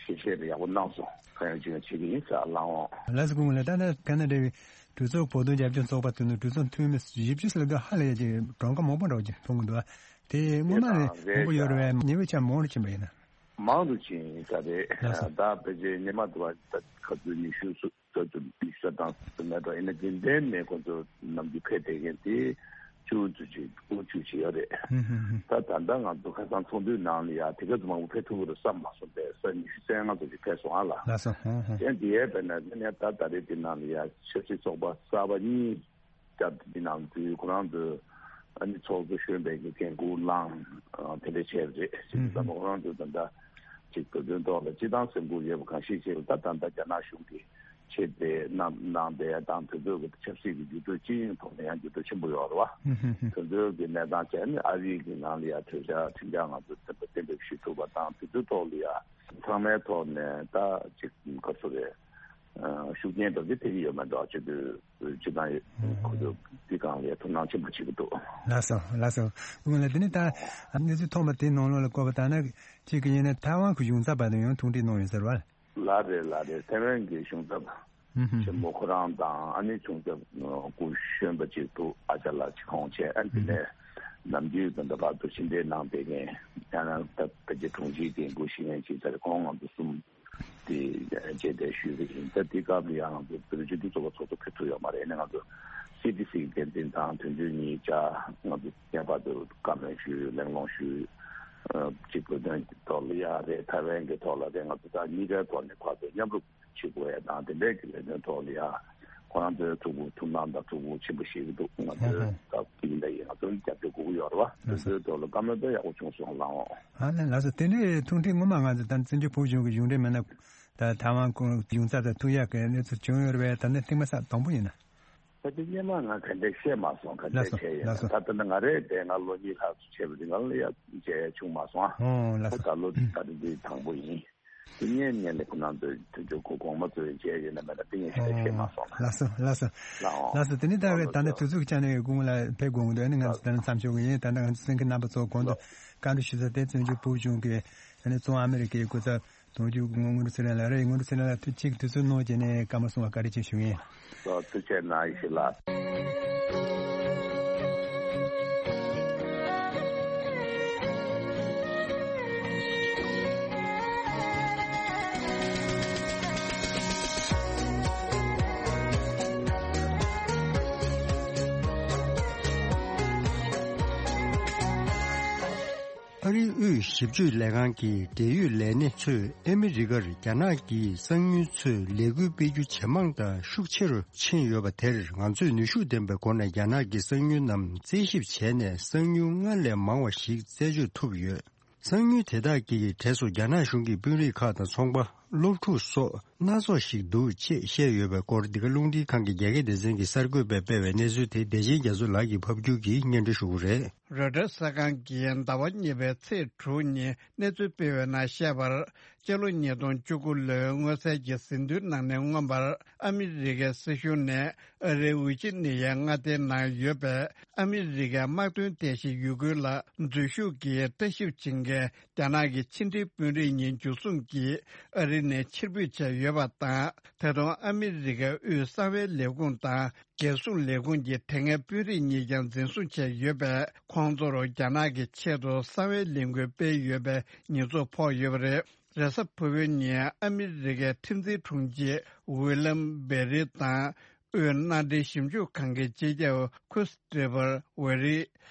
ཞལ་བཞེས་རེ་ཡག་པོ་གནང་སོང་། གང་ཡང་ཅི་ཡང་བྱེད་ཀྱི་ཡིན་ཟེར་ལབ་འོང་། ལགས་སོ། སྐུ་ངོ་ལགས། ད་ལྟ་ཁ་ན་ཌ་བའི་གྲོས་ཚོགས་བོད་དོན་རྒྱབ་སྐྱོར་ཚོགས་པ་དེ་ནི་གྲོས་ཚོགས་འཐུས་མི་བཞི་བཅུ་ལྷག་ཙམ་ཧ་ལས་ཀྱི་གྲངས་ཀ་མང་པོ་འདྲ་བོ་ཅིག་མཐོང་གི་འདུག་ཨ། དེ་སྔོན་མ་ནས་མང་པོ་ཡོད་རེད་པས། ཉེ་བའི་ཆར་མང་རུ་ཕྱིན་པ་ཡིན་ན། མང་དུ་ཕྱིན་ཡིན་ས་རེད། ལགས་སོ། ད་ཕལ་ཆེར་སྔོན་མ་དུ་བ་ད་ག་ཚོད་ཉི་ཤུ་སུ་ཚོད་དུ་ཉི་ཤུ་དང་དུ་མེད་འགྲོ་ཡིན་ན་རྒྱུན་ལྡན་ནས་ཁོ་ཚོ་ནམ་རྒྱུན་ཕེབས་བསྡད་མཁན་དེ་བཅུ་ཙམ་ཅིག་དགུ་བཅུ་ཅིག་ཡོད་རེད། ཧུམ་ཧུམ་ཧུམ། ད་ད་ལྟ་ང་ཚོ་ཁ་སང་ཚོགས་འདུའི་ནང་ལ་ཡ་དེ་ག་ཚོད་མང་པོ་ཕེབས་ཐུབ་ཀྱི་རེད་བསམ་མ་སོང་པས། ས་ཉི་ཤུ་རྩ་ལྔ་ཙམ་ཅིག་ཕེབས་སོང་ཨ་ལ། ལགས་སོ། ཧུམ་ཧུམ། ཡང་དེ་ཡས་པས་ན་དེ་ནས་ད་ད་རེས་དེ་ནང་ལ་ཡ་ཆབ་སྲིད་ཚོགས་པ་གསར་པ་གཉིས། སྐབས་དེ་ནང་དུས་ཁོ་རང་ཚོས་ཨ་ནི་ཚོགས་གཙོ་གཞོན་པའི་གི་འགན་འཁུར་བླངས་དེ་འདྲ་བྱས་རེད། ཅེས་ཙམ་ཁོ་རང་ཚོས་ད་ལྟ་ཅིག་བོད་དོན་ཐོག་ལ་སྤྱི་བཏང་སེམས་ཁུར་ཡོད་པ་གང་ཤེས་ཅིག་ལ་ད་ད་ལྟ་རྒྱ་ནག་གཞུང་གིས་ཆེད་དེ་གནང་གནང་བསྡད་དང་དེ་ཚོའི་གི་ཆབ་སྲིད་ཀྱི་འགྱུར་ལྡོག་སྤྱི་ཡོངས་ཐོག་ནས་ཡང་འགྱུར་ལྡོག་ཆེན་པོ་ཡོད་རེད་བ། དེ་ཚོའི་གི་གནས་སྟངས་བྱས་ནས་ཨ་རིའི་གི་ནང་ལ་ཡང་གྲོས་འཆར་ཁྲིམས་འཆར་ང་ཚོ་གཏན་འབེབས་ཞུ་ཐུབ་པ་དང་དེ་ཚོའི་ཐོག་ལ་ཡང་ཚང་མའི་ཐོག་ནས་ད་ཅིག་ག་ཚོད་རེད། ཤུགས་རྐྱེན་དང་དེ་ཐེབས་ཀྱི་ཡོད་མེད་འདྲ་བ་བྱེད་དུས་སྤྱི་བཏང་ཁོ་ཚོ་དེ་གང་ལ་ཐུགས་སྣང་ཆེན་པོ་བྱེད་ཀྱི་འདུག་ལགས་སོ། ལགས་སོ། སྐུ་ངོ་ལགས། དེ་ནས་ད་གནས་ཚུལ་ཐོན་པ་དེའི་ནང་ལོགས་ལ་བཀོད་པ་ལྟར་ན་གཅིག་གི་ཡིན་ན་ཐའེ་ཝན་གྱི་གཞུང་ཚབ་པ་དང་ཡང་ཐུག་འཕྲད་གནང་ཡོད་ཟེར་བ། ལགས་རེད་ལགས་རེད། ཐའེ་ཝན་གྱི་གཞུང་ཚབ་ཆེན་མོ་ཁོ་རང་དང་ཨ་ནི་གཞུང་ཚབ་སྐུ་གཞོན་པ་གཅིག་འདུག་ཨ་ཅག་ལགས་ཅིག་ཁོང་བཅས་ཨ་ནི་དེ་ནས་ནམ་རྒྱུན་ད་ལྟ་བར་དུ་ཕྱི་འབྲེལ་གནང་བསྡད་མཁན་ཡང་ན་ད་ཕལ་ཆེར་དྲུང་ཆེའི་འགན་འཁུར་བཞེས་མཁན་ཅིག་ཚར་ཁོང་ང་ཚོ་གསུམ། དེ་རྗེས་དེ་ཞུས་པ་ཡིན། ད་དེ་སྐབས་ལ་ཡང་ང་ཚོ་བོད་རིགས་སྤྱི་མཐུན་ཚོགས་པ་ཚོགས་གཙོ་ཕེབས་ཐུབ་ཡོད་མ་རེད། ཨ་ནི་ང་ཚོ་སི་ཏི་སི་འགན་འཛིན་དང་དོན་གཅོད་གཉིས་བཅས་ང་ཚོ་ངེས་པར་དུ་བཀའ་མོལ་ཞུས། གླེང་སློང་ཞུས། གཅིག་བོད་དོན་གྱི་ཐོག་ལ་ཡ་རེད། ཐའེ་ཝན་གྱི་ཐོག་ལ་རེད། ང་ཚོ་ད་གཉིས་ཀའི་ཐོག་ནས་ཕར་ཚུར་མཉམ་རུབ་བྱེད་དགོས་ཡ་དང་དེ་འདྲའི་གི་ལས་དོན་ཐོག་ལ་ཡ་ཁོ་རང་ཚོའི་ཐུགས་ཁུར་ཐུགས་སྣང་དང་ཐུགས་ཁུར་ཆེན་པོ་བཞེས་ཀྱི་འདུག་ང་ཚོའི་ད་དེ་ཡིན་ད་ཡིན་ང་ཚོ་རྒྱབ་སྐྱོར་དགོས་ཀྱི་ཡོད་རེད་བ། དེ་ཚོའི་ཐོག་ལ་བཀའ་མོལ་ད་ཡག་པོ་བྱུང་སོང་ལགས་འོང་། ཨ་ལགས་སོ། དེ་འདྲའི་ཐུགས་འཕྲད་སྔོན་མ་ང་ཚོ་ད་བཙན་བྱོལ་བོད་གཞུང་གི་གཞུང་འབྲེལ་མི་སྣ་ད་ཐའེ་ཝན་གཞུང་ཚབ་དང་ཐུག་ཡག་གི་གནས་ཚུལ་བྱུང་ཡོད་རེད་པས། ད་ནི་ཐེངས་མ་ས་དང་པོ་ཡིན་ན། ད་དེ་སྔོན་མ་ང་ག་འདྲས་བཤད་མ་སོང་། ག་འདྲས་ལགས་སོ་བྱས་ཡིན་ལགས་སོ། ད་ལྟ་ནི་ང་རེད་དེ་ང་ལོ་གཉིས་ལྷག་ཙམ་བྱས་པ་རེད། ང་ལ་ཡ་མཇལ་ཡ་བྱུང་མ་སོང་ཨ། ཨོ་ལགས་སོ། ད་ལོ་ད་ལྟ་འདི་དང་པོ་ཡིན། དེ་སྔོན་ནས་ལས་ཁོ་ནང་དུ་དུས་ཚོད་ཁོ་གོང་མ་ཚོས་མཇལ་ཡོད་ན་མེད་ན་དེ་ངས་ཞིག་བཤད་མ་སོང་ལ། ལགས་སོ་ལགས་སོ། ལགས་འོང་། ལགས་སོ། དེ་ནི་ད་ལགས་ད་ནི་སོ། དུས་ཚོད་ཀྱི་ཆ་ནས་དགོངས་ལ་ཕེབས་དགོངས་འདུག་ཨ་ནི་ང་ཚོ་ད་ནི་མཚམས་འཇོག་གི་ཡིན། ད་ནི་ང་ཚོ་གསན་མཁན་རྣམ་པ་ཚོ་གོང་དུ་བཀའ་འདྲི་ཞུ་ས་དེ་བཙན་བྱོལ་བོད་གཞུང་གི་ཨ་ནི་བཙོན་ཨ་མི་རི་ཀའི་སྐུ་ཚབ་ དོན་གཅོད་སྐུ་ངོ་དངོས་གྲུབ་ཚེ་རིང་ལགས་རེད། དངོས་གྲུབ་ཚེ་རིང་ལགས་ཐུགས་གཅིག་དུས་ཚོད་གནང་བྱས་ནས་སྐར་མ་གསུམ་པ་བཀའ་དྲིན་ཆེ་ཞུ་ངེས། ཐུགས་རྗེ་གནང་། ཡེ་ཤེས་ལགས། ཨ་རིའི་དབུས་ཞིབ་དཔྱོད་ལས་ཁང་གི་འབྲེལ་ཡོད་ལས་སྣེ་ཚོས་ཨ་མི་རི་ཀར་རྒྱ་ནག་གིས་གསང་ཉུལ་ཚོས་ལས་འགུལ་སྤེལ་རྒྱུ་ཇེ་མང་དང་ཤུགས་ཆེ་རུ་ཕྱིན་ཡོད་པ་དེར་ང་ཚོས་ནུས་ཤུགས་ལྡན་པའི་སྒོ་ནས་རྒྱ་ནག་གི་གསང་ཉུལ་རྣམས་རྩད་ཞིབ་བྱས་ནས་གསང་ཉུལ་སྔར་ལས་མང་བ་ཞིག་རྩད་གཅོད་ཐུབ་ཡོད། གསང་ཉུལ་དེ་དག་གི་གྲས་སུ་རྒྱ་ནག་གཞུང་གི་དཔོན་རིགས་ཁག་དང་ཚོང་པ། སློབ་ཕྲུག་སོགས་སྣ་ཚོགས་ཤིག་འདུག་ཅེས་བཤད་ཡོད་པའི་སྐོར་འདི་ག་རླུང་འཕྲིན་ཁང་གི་རྒྱ་སྐད་སྡེ་ཚན་གྱི་གསར་འགོད་པས་སྤེལ་བའི་གནས་ཚུལ་དེ་བདེ་ཆེན་རྒྱ་མཚོ་ལགས་ཀྱིས་ཕབ་སྒྱུར་གྱིས་སྙན་སྒྲོན་ཞུ་གི་རེད། རོའི་ཊར་གསར་ཁང་གིས་ཟླ་བ་གཉིས་པའི་ཚེས་དྲུག་ཉིན་གནས་ཚུལ་སྤེལ་བའི་ནང་བཤད་པར། སྤྱི་ལོ་ཉིས་སྟོང་བཅུ་དགུ་ལོའི་སྔོན་གསལ་གྱི་ཟིན་ཐོའི་ནང་ནས་མངོན་པར། ཨ་མི་རི་ཀའི་སྲིད་གཞུང་ནས་ཨ་རིའི་ཝི་ཇི་ནི་ཡའི་མངའ་སྡེའི་ནང་ཡོད་པའི་ཨ་མི་རི་ཀའི་དམག་དོན་རྟེན་གཞི་ཡུ་གུར་ལ་འཛུལ་ཞུགས་ཀྱིས་ལྟ་ཞིབ་བྱེད་མཁན་རྒྱ་ནག་གི་ཕྱི་འབྲེལ་དཔོན་རིགས་གཉིས་འཇུ་བཟུང་གིས་ཨ་རི་ནས་ཕྱིར་འབུད་བྱས་ཡོད་པ་དང་། ད་དུང་ཨ་མི་རི་ཀའི་དབུས་གསང་བའི་ལས་ཁུངས་དང་། རྒྱལ་སྲུང་ལས་ཁུངས་ཀྱི་དེ་སྔའི་དཔོན་རིགས་གཉིས་ཀྱང་འཛིན་བཟུང་བྱས་ཡོད་པས། ཁོང་ཚོར་རྒྱ་ནག་གི་ཆེད་དུ་གསང་བའི་ལས་འགུལ་སྤེལ་ཡོད་པའི་ཉེས་འཛུགས་ཕོག་ཡོད་པ་རེད། རེས་གཟའ་ཕུར་བུའི་ཉིན་ཨ་མི་རི་ཀའི་ཁྲིམས་འཛིན་དྲུང་ཆེ་ཝི་ལམ་བེ་རི་དང་། དབུས་མནའ་འབྲེལ་ཞིབ་འཇུག་ཁང་གི་སྤྱི་ཁྱབ་ཁུ་སི་ཏྲེ་བར་ཝེ་རི།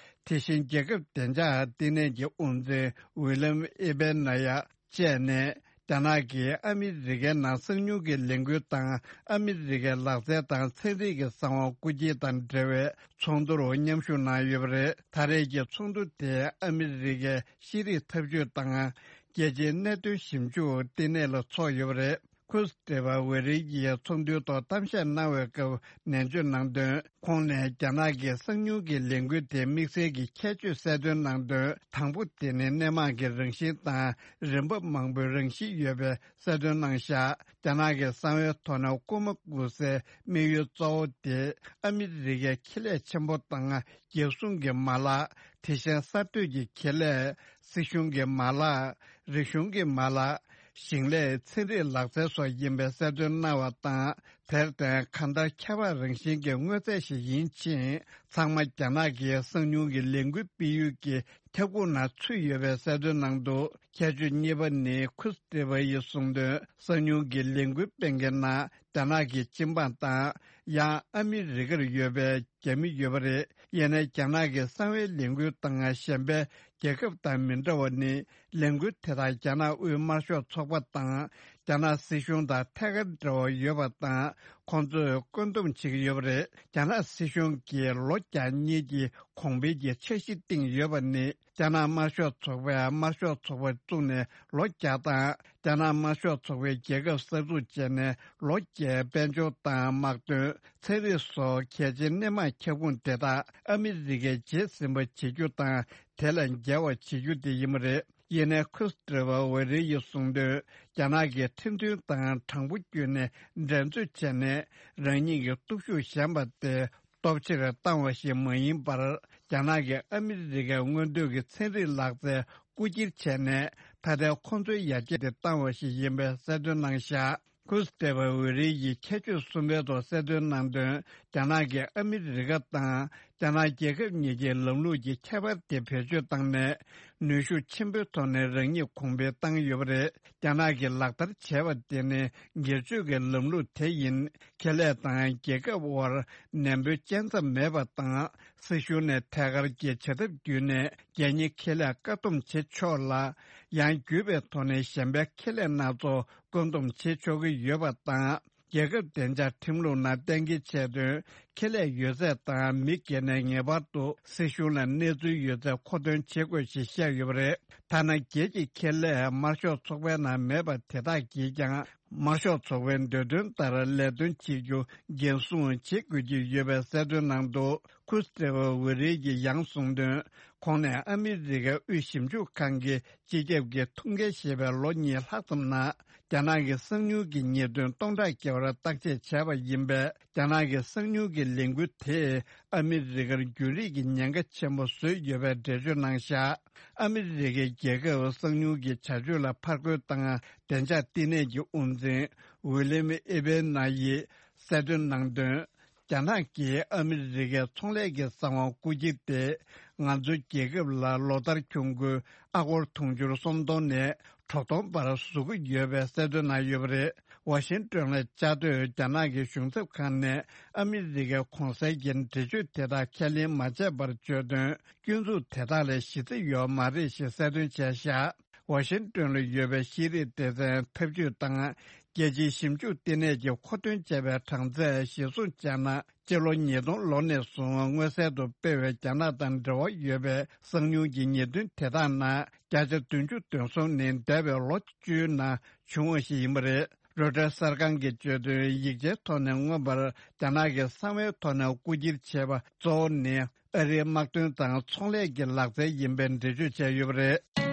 དེ་བཞིན་རྒྱལ་ཁབ་བདེ་འཇགས་ལྟེ་གནས་ཀྱི་དབུ་འཛིན་ཝི་ལམ་ཨེ་བེ་ན་ཡ་བཅས་ནས། རྒྱ་ནག་གིས་ཨ་མི་རི་ཀའི་ནང་གསང་ཉུལ་གྱི་ལས་འགུལ་དང་ཨ་མི་རི་ཀའི་ལག་རྩལ་དང་ཚན་རིག་གི་གསང་བ་རྐུ་འཁྱེར་དང་འབྲེལ་བའི་ཚོགས་འདུར་མཉམ་ཞུགས་གནང་ཡོད་པ་རེད། ད་རེས་ཀྱི་ཚོགས་འདུ་དེ་ཨ་མི་རི་ཀའི་ཤེས་རིག་ཐབས་ཇུས་དང་རྒྱལ་སྤྱིའི་གནད་དོན་ཞིབ་འཇུག་ལྟེ་གནས་ལ་འཚོགས་ཡོད་པ་རེད། ཁུ་སི་ཏྲེ་བ་ཝེ་རི་ཡིས་ཚོགས་འདུའི་ཐོག་གཏམ་བཤད་གནང་བའི་སྐབས་ནན་བརྗོད་གནང་དོན། ཁོང་ནས་རྒྱ་ནག་གི་གསང་ཉུལ་གྱི་ལས་འགུལ་དེ་དམིགས་བསལ་གྱི་ཁྱད་ཆོས་གསལ་སྟོན་གནང་དོན། དང་པོ་དེ་ནི་སྣེ་མང་གི་རང་བཞིན་དང་རིན་འབབ་མང་པོའི་རང་བཞིན་ཡོད་པའི་གསལ་སྟོན་གནང་བཞག་རྒྱ་ནག་གི་གསང་བའི་ཐོག་ནས་རྐུ་མ་རྐུ་སའི་དམིགས་ཡུལ་གཙོ་བོ་དེ་ཨ་མི་རི་ཀའི་ཁེ་ལས་ཆེན་པོ་དང་། རྒྱལ་སྲུང་གི་མ་ལག་དེ་བཞིན་གསར་གཏོད་ཀྱི་ཁེ་ལས། སྲིད་གཞུང་གི་མ་ལག་རིག་གཞུང་གི་མ་ལག་ཞིང་ལས། ཚན་རིག་ལག་རྩལ་སོགས་ཡིན་པའི་གསལ་སྟོན་གནང་བ་དང་། དེར་བརྟེན་གང་ལྟར་ཁྱད་པར་རང་བཞིན་གྱི་དངོས་རྫས་ཤིག་ཡིན་ཕྱིན། ཚང་མ་རྒྱ་ནག་གིས་གསང་ཉུལ་གྱི་ལས་འགུལ་སྤེལ་ཡུལ་གྱི་ཁྱབ་ཁོངས་ནང་ཚུད་ཡོད་པའི་གསལ་སྟོན་གནང་འདུག་ཁྱད་ཆོས་གཉིས་པ་ནི་ཁུ་སི་ཏྲེ་བ་ཡིས་གསུངས་དོན། གསང་ཉུལ་གྱི་ལས་འགུལ་སྤེལ་མཁན་ནང་རྒྱ་ནག་གི་སྤྱི་འབངས་དང་། ཡང་ཨ་མི་རི་ཀར་ཡོད་པའི་རྒྱ་མི་ཡོད་པ་རེད། ཡིན་ནའི་རྒྱ་ནག་གི་གསང་བའི་ལས་འགུལ་དང་གཞན་པའི་རྒྱལ་ཁབ་དང་མི་འདྲ་བ་ནི། ལས་འགུལ་དེ་དག་རྒྱ་ནག་དབུས་དམར་ཤོག་ཚོགས་པ་དང་། རྒྱ་ནག་སྲིད་གཞུང་དང་ཐད་ཀར་འབྲེལ་བ་ཡོད་པ་དང་། ཁོང་ཚོས་བཀོད་འདོམས་བྱེད་ཀྱི་ཡོད་པ་རེད། རྒྱ་ནག་སྲིད་གཞུང་གིས་ལོ་བརྒྱ་གཉིས་ཀྱི་གོང་འཕེལ་གྱི་འཆར་གཞི་བཏིང་ཡོད་པ་ནི། རྒྱ་ནག་དམར་ཤོག་ཚོགས་པས་དམར་ཤོག་ཚོགས་པ་བཙུགས་ནས་ལོ་བརྒྱ་དང་། རྒྱ་ནག་དམར་ཤོག་ཚོགས་པའི་རྒྱལ་ཁབ་གསར་འཛུགས་བྱས་ནས་ལོ་བརྒྱའི་དཔལ་འབྱོར་དང་དམག་དོན། ཚན་རིག་སོགས་གལ་ཆེའི་སྣེ་མང་ཁྱབ་ཁོངས་དེ་དག་ཨ་མི་རི་ཀས་རྗེས་ཟིན་པ་བྱེད་རྒྱུ་དང་། དེ་ལས་རྒྱལ་བ་བྱེད་རྒྱུ་དེ་ཡིན་པ་རེད། ཡིན་ནའི་ཁུ་སི་ཏྲེ་བ་ཝེ་རི་ཡིས་གསུངས་དོན། རྒྱ་ནག་གིས་ཁྲིམས་མཐུན་དང་དྲང་པོ་བརྒྱུད་ནས་འགྲན་རྩོད་བྱས་ནས་རང་ཉིད་ཀྱི་སྟོབས་ཤུགས་ཞན་པ་དེ་སྟོབས་ཆེར་བཏང་བ་ཞིག་མ་ཡིན་པར། རྒྱ་ནག་གིས་ཨ་མི་རི་ཀའི་མངོན་འདོད་ཀྱི་ཚན་རིག་ལག་རྩལ་རྐུ་འཁྱེར་བྱས་ནས། ད་ལྟའི་ཁོང་ཚོའི་ཡར་རྒྱས་དེ་བཏང་བ་ཞིག་ཡིན་པའི་གསལ་སྟོན་གནང་བཞག་ཁུ་སི་ཏྲེ་བ་ཝེ་རི་ཡིས་ཁྱད་ཆོས་གསུམ་པའི་ཐོག་གསལ་སྟོན་གནང་དོན། རྒྱ་ནག་གིས་ཨ་མི་རི་ཀ་དང་རྒྱ་ནག་རྒྱལ་ཁབ་གཉིས་ཀྱི་ལམ་ལུགས་ཀྱི་ཁྱད་པར་དེ་བེད་སྤྱོད་བཏང་ནས། ནུས་ཤུགས་ཆེན་པོའི་ཐོག་ནས་རང་ཉིད་གོང་འཕེལ་བཏང་ཡོད་པ་རེད། རྒྱ་ནག་གིས་ལག་བསྟར་བྱས་པ་དེ་ནི་སྒེར་གཅོད་ཀྱི་ལམ་ལུགས་དེ་ཡིན། ཁེ་ལས་དང་རྒྱལ་ཁབ་དབར་ནན་པོའི་བཅད་མཚམས་མེད་པ་དང་། སྲིད་གཞུང་ནས་ཐད་ཀར་གྱི་བྱ་ཐབས་བརྒྱུད་ནས་རྒྱལ་གཉེར་ཁེ་ལས་བཀག་སྡོམ་བྱེད་ཆོག་ལ། ཡང་བརྒྱུད་པའི་ཐོག་ནས་གཞན་པའི་ཁེ་ལས་སྣ་ཚོགས་བཀོད་འདོམས་བྱེད་ཆོག་གི་ཡོད་པ་དང་། རྒྱལ་ཁབ་བདེ་འཇགས་ཁྲིམས་ལུགས་ནང་གཏན་འཁེལ་བྱས་དོན། ཁེ་ལས་ཡོད་ཚད་དང་མི་སྒེར་ནས་ངེས་པར་དུ་སྲིད་གཞུང་ལ་གནས་ཚུལ་ཡོད་ཚད་མཁོ་འདོན་བྱེད་དགོས་ཞེས་བཤད་ཡོད་པ་རེད། ཐ་ན་སྒེར་གྱི་ཁེ་ལས་དམར་ཤོག་ཚོགས་པའི་ནང་མེད་པ་དེ་དག་གིས་ཀྱང་། དམར་ཤོག་ཚོགས་པའི་འདོད་དོན་ལྟར་ལས་དོན་བྱེད་རྒྱུ་འགན་སྲུང་བྱེད་དགོས་ཀྱི་ཡོད་པའི་གསལ་སྟོན་གནང་འདུག་ཁུ་སི་ཏྲེ་བ་ཝེ་རི་ཡིས་ཡང་གསུངས་དོན། ཁོང་ནས་ཨ་མི་རི་ཀའི་དབུས་ཞིབ་འཇུག་ཁང་གི་སྤྱི་ཁྱབ་ཀྱི་ཐུགས་འགན་བཞེས་པའི་ལོ་གཉིས་ལྷག་ཙམ་ནང་། རྒྱ་ནག་གི་གསང་ཉུལ་གྱི་ཉེས་དོན་སྟོང་ཕྲག་བརྒལ་བར་བརྟག་དཔྱད་བྱས་པ་ཡིན་པས། རྒྱ་ནག་གི་གསང་ཉུལ་གྱི་ ལས་འགུལ་དེས་ཨ་མི་རི་ཀར་རྒྱུན་རིང་གི་ཉེན་ཁ་ཆེན་པོ་བཟོས་ཡོད་པའི་འགྲེལ་བརྗོད་གནང་བཞག་ཨ་མི་རི་ཀའི་རྒྱལ་ཁབ་གསང་མྱུལ་གྱི་བྱ་སྤྱོད་ལ་ཕར་རྒོལ་དང་བདེ་འཇགས་བསྟི་གནས་ཀྱི་དབུ་འཛིན་ཝི་ལི་ཡམ་ཨེ་བེ་ན་ཡིས་གསལ་སྟོན་གནང་དོན། རྒྱ་ནག་གིས་ཨ་མི་རི་ཀའི་ཚོང་ལས་ཀྱི་གསང་བ་རྐུ་འཁྱེར་ཏེ། ང་ཚོའི་རྒྱལ་ཁབ་ལ་ལོ་ལྟར་གྱོང་གུན་ཨ་སྒོར་དུང་ཕྱུར་སུམ་སྟོང་ནས་དྲུག་སྟོང་བར་བཟོ་གི་ཡོད་པའི་གསལ་སྟོན་གནང་ཡོད་པ་རེད། ཝ་ཤིང་ཏོན་ལ་བཅའ་སྡོད་རྒྱ་ནག་གི་གཞུང་ཚབ་ཁང་ནས་ཨ་མི་རི་ཀའི་གོང་གསལ་གྱི་འགྲེལ་བརྗོད་དེ་དག་ཁས་ལེན་མ་བྱས་པར་བརྗོད་དོན། སྐྱོན་འཛུགས་དེ་དག་ལ་གཞི་རྩ་ཡོད་མ་རེད་ཞེས་གསལ་སྟོན་བྱས་བཞག་ཝ་ཤིང་ཏོན་ལ་ཡོད་པའི་ཤེས་རིག་སྡེ་ཚན་འཐབ་ཇུས་དང་རྒྱལ་སྤྱིའི་ཞིབ་འཇུག་ལྟེ་གནས་ཀྱིས་མཁོ་འདོན་བྱས་པའི་གྲངས་ཚད་གཞིར་བཟུང་བྱས་ན། སྤྱི་ལོ་ཉིས་སྟོང་ལོ་ནས་བཟུང་མངོན་གསལ་དུ་སྤེལ་བའི་རྒྱ་ནག་དང་འབྲེལ་བ་ཡོད་པའི་གསང་མྱུལ་གྱི་ཉེས་དོན་དེ་དག་ནང་བརྒྱ་ཆ་བདུན་ཅུ་དོན་གསུམ་ནི་འདས་པའི་ལོ་བཅུའི་ནང་བྱུང་བ་ཞིག་ཡིན་པ་རེད། རོའི་ཊར་གསར་ཁང་གིས་བརྗོད་དོན། ཡིག་ཆའི་ཐོག་ནས་མངོན་པར་རྒྱ་ནག་གི་གསང་བའི་ཐོག་ནས་རྐུ་འཁྱེར་བྱས་པ་གཙོ་བོ་ནི། ཨ་རིའི་དམག་དོན་དང་ཚོང་ལས་ཀྱི་ལག་རྩལ་ཡིན་པའི་འགྲེལ་བརྗོད་བྱས་ཡོད་པ་རེད།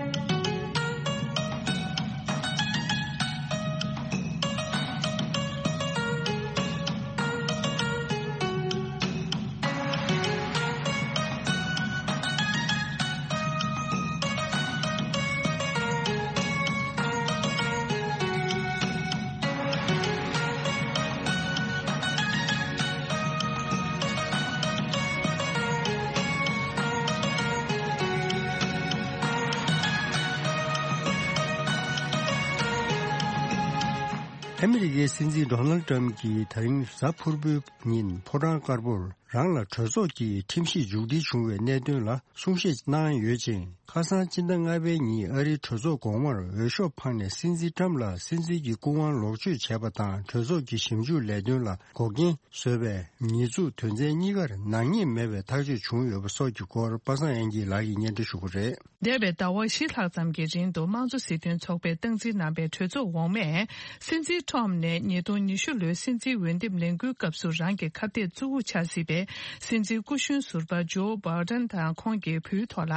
ཨ་མི་རི་ཀའི་སྲིད་འཛིན་ཌོ་ནལ་ཏྲམ་གྱིས་ད་རིང་གཟའ་ཕུར་བུའི་ཉིན་ཕོ་བྲང་དཀར་པོར་རང་ལ་གྲོས་ཚོགས་ཀྱི་ཁྲིམས་གཞི་མཇུག་སྒྲིལ་བྱུང་བའི་གནད་དོན་ལ་གསུང་བཤད་གནང་ཡོད་ཅིང་། ཁ་སང་སྤྱི་ཟླ་ལྔ་པའི་ཉིན་ཨ་རིའི་གྲོས་ཚོགས་གོང་མར་འོས་ཤོག་འཕངས་ནས་སྲིད་འཛིན་ཏྲམ་ལ་སྲིད་འཛིན་གྱི་སྐུ་དབང་ལོག་སྤྱོད་བྱས་པ་དང་གྲོས་ཚོགས་ཀྱི་ཞིབ་འཇུག་ལས་དོན་ལ་འགོག་རྐྱེན་བཟོས་པའི་ཉེས་འཛུགས་དོན་ཚན་གཉིས་ཀར་ནག་ཉེས་མེད་པའི་ཐག་གཅོད་བྱུང་ཡོད་པ་སོགས་ཀྱི་སྐོར་པ་སངས་དབྱངས་སྐྱིད་ལགས་ཀྱིས་སྙན་སྒྲོན་ཞུ་གི་རེད། འདས་པའི་ཟླ་བ་བཞི་ལྷག་ཙམ་གྱི་རིང་དུ་དམངས་གཙོ་སྲིད་དོན་ཚོགས་པས་སྟངས་འཛིན་གནང་པའི་གྲོས་ཚོགས་འོག་མས་སྲིད་འཛིན་ཁྲོམ་ནས་ཉིས་སྟོང་ཉི་ཤུ་ལོའི་སྲིད་འཛིན་འོས་འདེམས་ལས་འགུལ་སྐབས་སུ་རང་གི་ཁ་གཏད་གཙོ་བོ་ཆགས་སྲིད་པའི་སྲིད་འཛིན་སྐུ་གཞོན་ཟུར་པ་ཇོ་བྷའི་ཌེན་དང་ཁོང་གི་བུའི་ཐོག་ལ་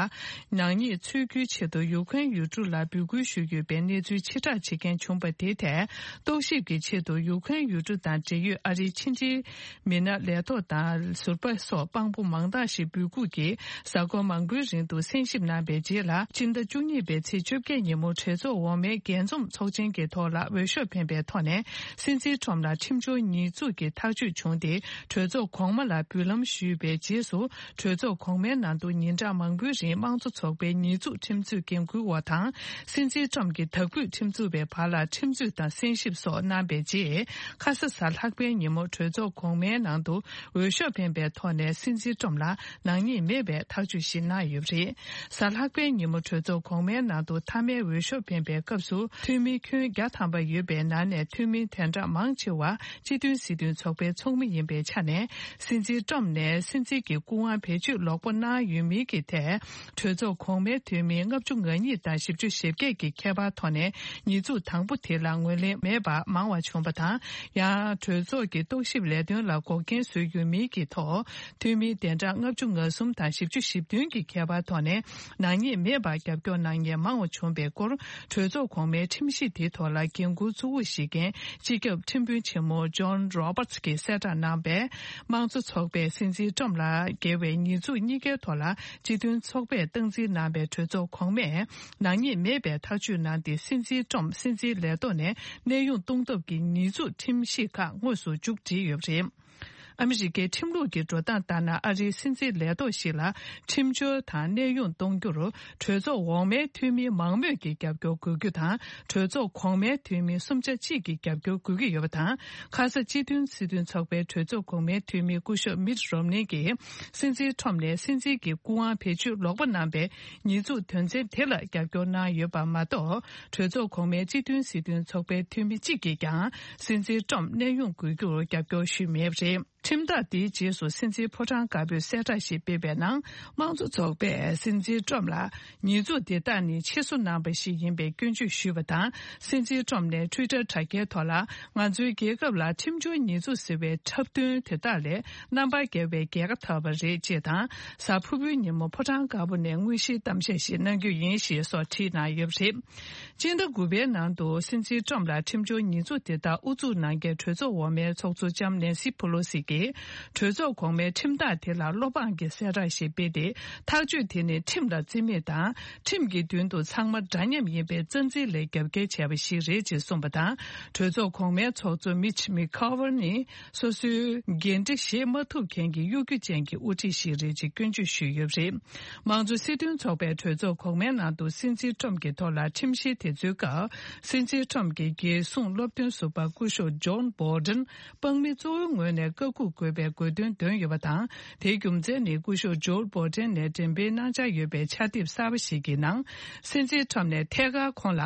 ནག་ཉེས་འཚོལ་རྒྱུའི་ཆེད་དུ་ཡུ་ཁུ་རེན་ཡུལ་གྲུ་ལ་འབོད་སྐུལ་ཞུས་ཡོད་པའི་གནས་ཚུལ་ཕྱིར་བསྒྲགས་བྱེད་མཁན་བྱུང་པ་དེའི་ཐད་རྟོག་ཞིབ་ཀྱི་ཆེད་དུ་ཡུ་ཁུ་རེན་ཡུལ་གྲུ་དང་འབྲེལ་ཡོད་ཨ་རིའི་ཕྱི་འབྲེལ་མི་སྣ་ལས་ཐོག་དང་ཟུར་པ་སོགས་དཔང་པོ་མང་དག་ཞིག་འབོད་འགུག་གིས་གཟའ་འཁོར་མང་པོའི་རིང་དུ་གསན་ཞིབ་གནང་པའི་རྗེས་ལ་སྤྱི་ཟླ་བཅུ་གཉིས་པའི་ཚེས་བཅོ་བརྒྱད་ཉིན་མོ་གྲོས་ཚོགས་འོག་མའི་རྒྱས་འཛོམས་ཚོགས་ཆེན་གྱི་ཐོག་ལ་འོས་ཤོག་འཕེན་པའི་ཐོག་ནས་སྲིད་འཛིན་ཁྲོམ་ལ་ཁྲིམས་སྦྱོར་ཉེས་འཛུགས་ཀྱི་ཐག་གཅོད་བྱུང་སྟེ་གྲོས་ཚོགས་གོང་མ་ལ་འབུལ་ལམ་ཞུས་པའི་རྗེས་སུ་གྲོས་ཚོགས་གོང་མའི་ནང་དུ་ཉིན་གྲངས་མང་པོའི་རིང་དམངས་གཙོ་ཚོགས་པའི་ཉེས་འཛུགས་ཁྲིམས་རྩོད་འགན་འཁུར་བ་དང་སྲིད་འཛིན་ཁྲོམ་གྱི་དྭགས་པོའི་ཁྲིམས་རྩོད་པའི་བར་ལ་ཁྲིམས་རྩོད་དང་གསན་ཞིབ་སོགས་གནང་པའི་རྗེས་ཁ་ས་གཟའ་ལྷག་པའི་ཉིན་མོ་གྲོས་ཚོགས་གོང་མའི་ནང་དུ་འོས་ཤོག་འཕེན་པའི་ཐོག་ནས་སྲིད་འཛིན་ཁྲོམ་ལ་ནག་ཉེས་མེད་པའི་ཐག་གཅོད་ཞིག་གནང་ཡོད་པ་རེད། གཟའ་ལྷག་པའི་ཉིན་མོ་གྲོས་ཚོགས་གོང་མའི་ནང་དུ་མཐའ་མའི་འོས་ཤོག་འཕེན་པའི་སྐབས་སུ་འཐུས་མི་ཁྱོན་བརྒྱ་ཐམ་པ་ཡོད་པའི་ནང་ནས་འཐུས་མི་དོན་གྲངས་མང་ཆེ་བ་སྤྱི་མཐུན་སྲིད་དོན་ཚོགས་པའི་ཚོགས་མི་ཡིན་པའི་ཆ་ནས་སྲིད་འཛིན་ཏྲམ་ནས་སྲིད་འཛིན་གྱི་སྐུ་དབང་བེད་སྤྱོད་ལོག་པ་གནང་ཡོད་མིན་གྱི་ཐད་གྲོས་ཚོགས་གོང་མའི་འཐུས་མི་ལྔ་བཅུ་ང་གཉིས་དང་བཞི་བཅུ་ཞེ་བརྒྱད་ཀྱི་ཁྱད་པར་ཐོག་ནས་ཉེས་འཛུགས་དང་པོ་དེ་ལ་ངོས་ལེན་མེད་པ་མང་བ་བྱུང་བ་དང་། ཡང་གྲོས་ཚོགས་ཀྱི་རྟོག་ཞིབ་ལས་དོན་ལ་འགོག་རྐྱེན་བཟོས་ཡོད་མིན་གྱི་ཐོག་འཐུས་མི་དོན་གྲངས་ལྔ་བཅུ་ང་གསུམ་དང་བཞི་བཅུ་ཞེ་བདུན་གྱི་ཁྱད་པར་ཐོག་ནས་ནག་ཉེས་མེད་པར་རྒྱབ་སྐྱོར་གནང་མཁན་མང་བ་བྱུང་བའི་སྐོར་གྲོས་ཚོགས་གོང་མའི་ཁྲིམས་གཞི་དེའི་ཐོག་ལ་འགན་འཁུར་གཙོ་བོ་བཞེས་མཁན་སྤྱི་ཁྱབ་ཁྲིམས་དཔོན་ཆེན་མོ་ཇོན་རོ་བར་ཊི་གིས་གསལ་བསྒྲགས་གནང་བས། དམངས་གཙོ་ཚོགས་པས་སྲིད་འཛིན་ཏྲམ་ལ་འགེལ་བའི་ཉེས་འཛུགས་གཉིས་ཀའི་ཐོག་ལ་སྤྱི་མཐུན་ཚོགས་པས་སྟངས་འཛིན་གནང་བའི་གྲོས་ཚོགས་གོང་མས་ནག་ཉེས་མེད་པའི་ཐག་གཅོད་གནང་སྟེ། སྲིད་འཛིན་ཏྲམ་སྲིད་འཛིན་ལས་ཐོག་ནས་གནས་དབྱུང་གཏོང་ཐབས་ཀྱི་ཉེས་འཛུགས་ཁྲིམས་གཞི་ཁག་དངོས་སུ་མཇུག་སྒྲིལ་ཡོད་པ་རེད། ཨ་མི་རི་ཀའི་ཁྲིམས་ལུགས་ཀྱི་འགྲོ་སྟངས་ལྟར་ན། ཨ་རིའི་སྲིད་འཛིན་ལས་ཐོག་ཞིག་ལ་ཁྲིམས་སྦྱོར་དང་གནས་དབྱུང་གཏོང་རྒྱུར་གྲོས་ཚོགས་འོག་མའི་འཐུས་མི་མང་མོས་ཀྱི་རྒྱབ་སྐྱོར་དགོས་རྒྱུ་དང་། གྲོས་ཚོགས་གོང་མའི་འཐུས་མི་གསུམ་ཆ་གཅིག་གི་རྒྱབ་སྐྱོར་དགོས་ཀྱི་ཡོད་པ་དང་། ཁ་ས་སྤྱི་མཐུན་སྲིད་དོན་ཚོགས་པའི་གྲོས་ཚོགས་གོང་མའི་འཐུས་མི་སྐུ་ཞབས་མིད་རོམ་ནི་གིས་སྲིད་འཛིན་ཁྲོམ་ནས་སྲིད་འཛིན་གྱི་སྐུ་དབང་བེད་སྤྱོད་ལོག་པ་གནང་པའི་ཉེས་འཛུགས་དོན་ཚན་དེ་ལ་རྒྱབ་སྐྱོར་གནང་ཡོད་པ་མ་གཏོགས། གྲོས་ཚོགས་གོང་མའི་སྤྱི་མཐུན་སྲིད་དོན་ཚོགས་པའི་འཐུས་མི་གཅིག་གིས་ཀྱང་སྲིད་འཛིན་ཏྲམ་གནས་དབྱུང་དགོས་རྒྱུར་རྒྱབ་སྐྱོར་ཞུས་མེད་པ་རེད། ཁྲིམས་ཐག་དེའི་རྗེས་སུ་སྲིད་འཛིན་ཕོ་བྲང་དཀར་པོས་གསལ་བསྒྲགས་ཤིག་སྤེལ་བའི་ནང་། དམངས་གཙོ་ཚོགས་པས་སྲིད་འཛིན་ཏྲམ་ལ་ཉེས་འཛུགས་དེ་དག་ནི་ཕྱིར་བཟོ་གནང་པ་ཞིག་ཡིན་པའི་སྐྱོན་བརྗོད་ཞུས་པ་དང་། སྲིད་འཛིན་ཏྲམ་ནས་ཊུའི་ཊར་དྲ་རྒྱའི་ཐོག་ལ། ང་ཚོའི་རྒྱལ་ཁབ་ལ་ཁྲིམས་སྦྱོར་ཉེས་འཛུགས་ཟེར་བའི་འཁྲབ་སྟོན་དེ་དག་ལས་རྣམ་པར་རྒྱལ་བའི་རྒྱལ་ཁ་ཐོབ་པ་རེད་ཅེས་དང་། གཟའ་ཕུར་བུའི་ཉིན་མོ་ཕོ་བྲང་དཀར་པོ་ནས་དངོས་གཞིའི་གཏམ་བཤད་ཞིག་གནང་རྒྱུ་ཡིན་ཞེས་སོགས་བྲིས་གནང་ཡོད་པ་རེད། སྤྱི་ཟླ་དགུ་པའི་ནང་དུ་སྲིད་འཛིན་ཏྲམ་ལ་ཁྲིམས་སྦྱོར་ཉེས་འཛུགས་དེ་དག་ཨུ་ཚུགས་གནང་མཁན་གྲོས་ཚོགས་འོག་མའི་ཚོགས་གཙོ་ལྕམ་ནེན་སི་ཕུ་ལོ་སི་གིས། གྲོས་ཚོགས་གོང་མའི་ཁྲིམས་ཐག་དེ་ལ་བློ་ཕངས་ཀྱི་གསལ་བསྒྲགས་ཤིག་སྤེལ་ཏེ། ཐག་གཅོད་དེ་ནི་ཁྲིམས་ལ་བརྩི་མེད་དང་། ཁྲིམས་ཀྱི་མདུན་དུ་ཚང་མ་འདྲ་མཉམ་ཡིན་པའི་རྩ་འཛིན་ལས་རྒྱབ་འགལ་བྱས་པ་ཞིག་རེད་ཅེས་གསུངས་པ་དང་། གྲོས་ཚོགས་གོང་མའི་ཚོགས་གཙོ་མིཆ་མི་ཁ་ཝར་ནི། སོ་སོའི་འགན་འཁྲི་བཞེས་མ་ཐུབ་མཁན་གྱི་གཡོ་སྒྱུ་ཅན་གྱི་དབུ་ཁྲིད་ཞིག་རེད་ཅེས་སྐྱོན་བརྗོད་ཞུས་ཡོད་པ་རེད། དམངས་གཙོ་སྲིད་དོན་ཚོགས་པའི་གྲོས་ཚོགས་གོང་མའི་ནང་དུ་སྲིད་འཛིན་ཁྲོམ་གྱི་ཐོག་ལ་ཁྲིམས་བཤེར་དེ་ཚོའི་སྐབས། སྲིད་འཛིན་ཁྲོམ་གྱི་རྒྱལ་སྲུང་སློབ་སྟོན་ཟུར་པ་སྐུ་ཞབས་ཇོན་བྷོ་ཌེན་དཔང་མི་གཙོ་བོའི་ངོས་ནས་བཀའ་འགུག་དགོས་པའི་དགོས་འདུན་བཏོན་ཡོད་པ་དང་། དེའི་རྒྱུ་མཚན་ནི་སྐུ་ཞབས་ཇོན་བྷོ་ཌེན་ནས་འགྲེམས་སྤེལ་གནང་འཆར་ཡོད་པའི་ཕྱག་དེབ་གསར་པ་ཞིག་གི་ནང་། སྲིད་འཛིན་ཁྲོམ་ནས་ཐད་ཀར་ཁོང་ལ།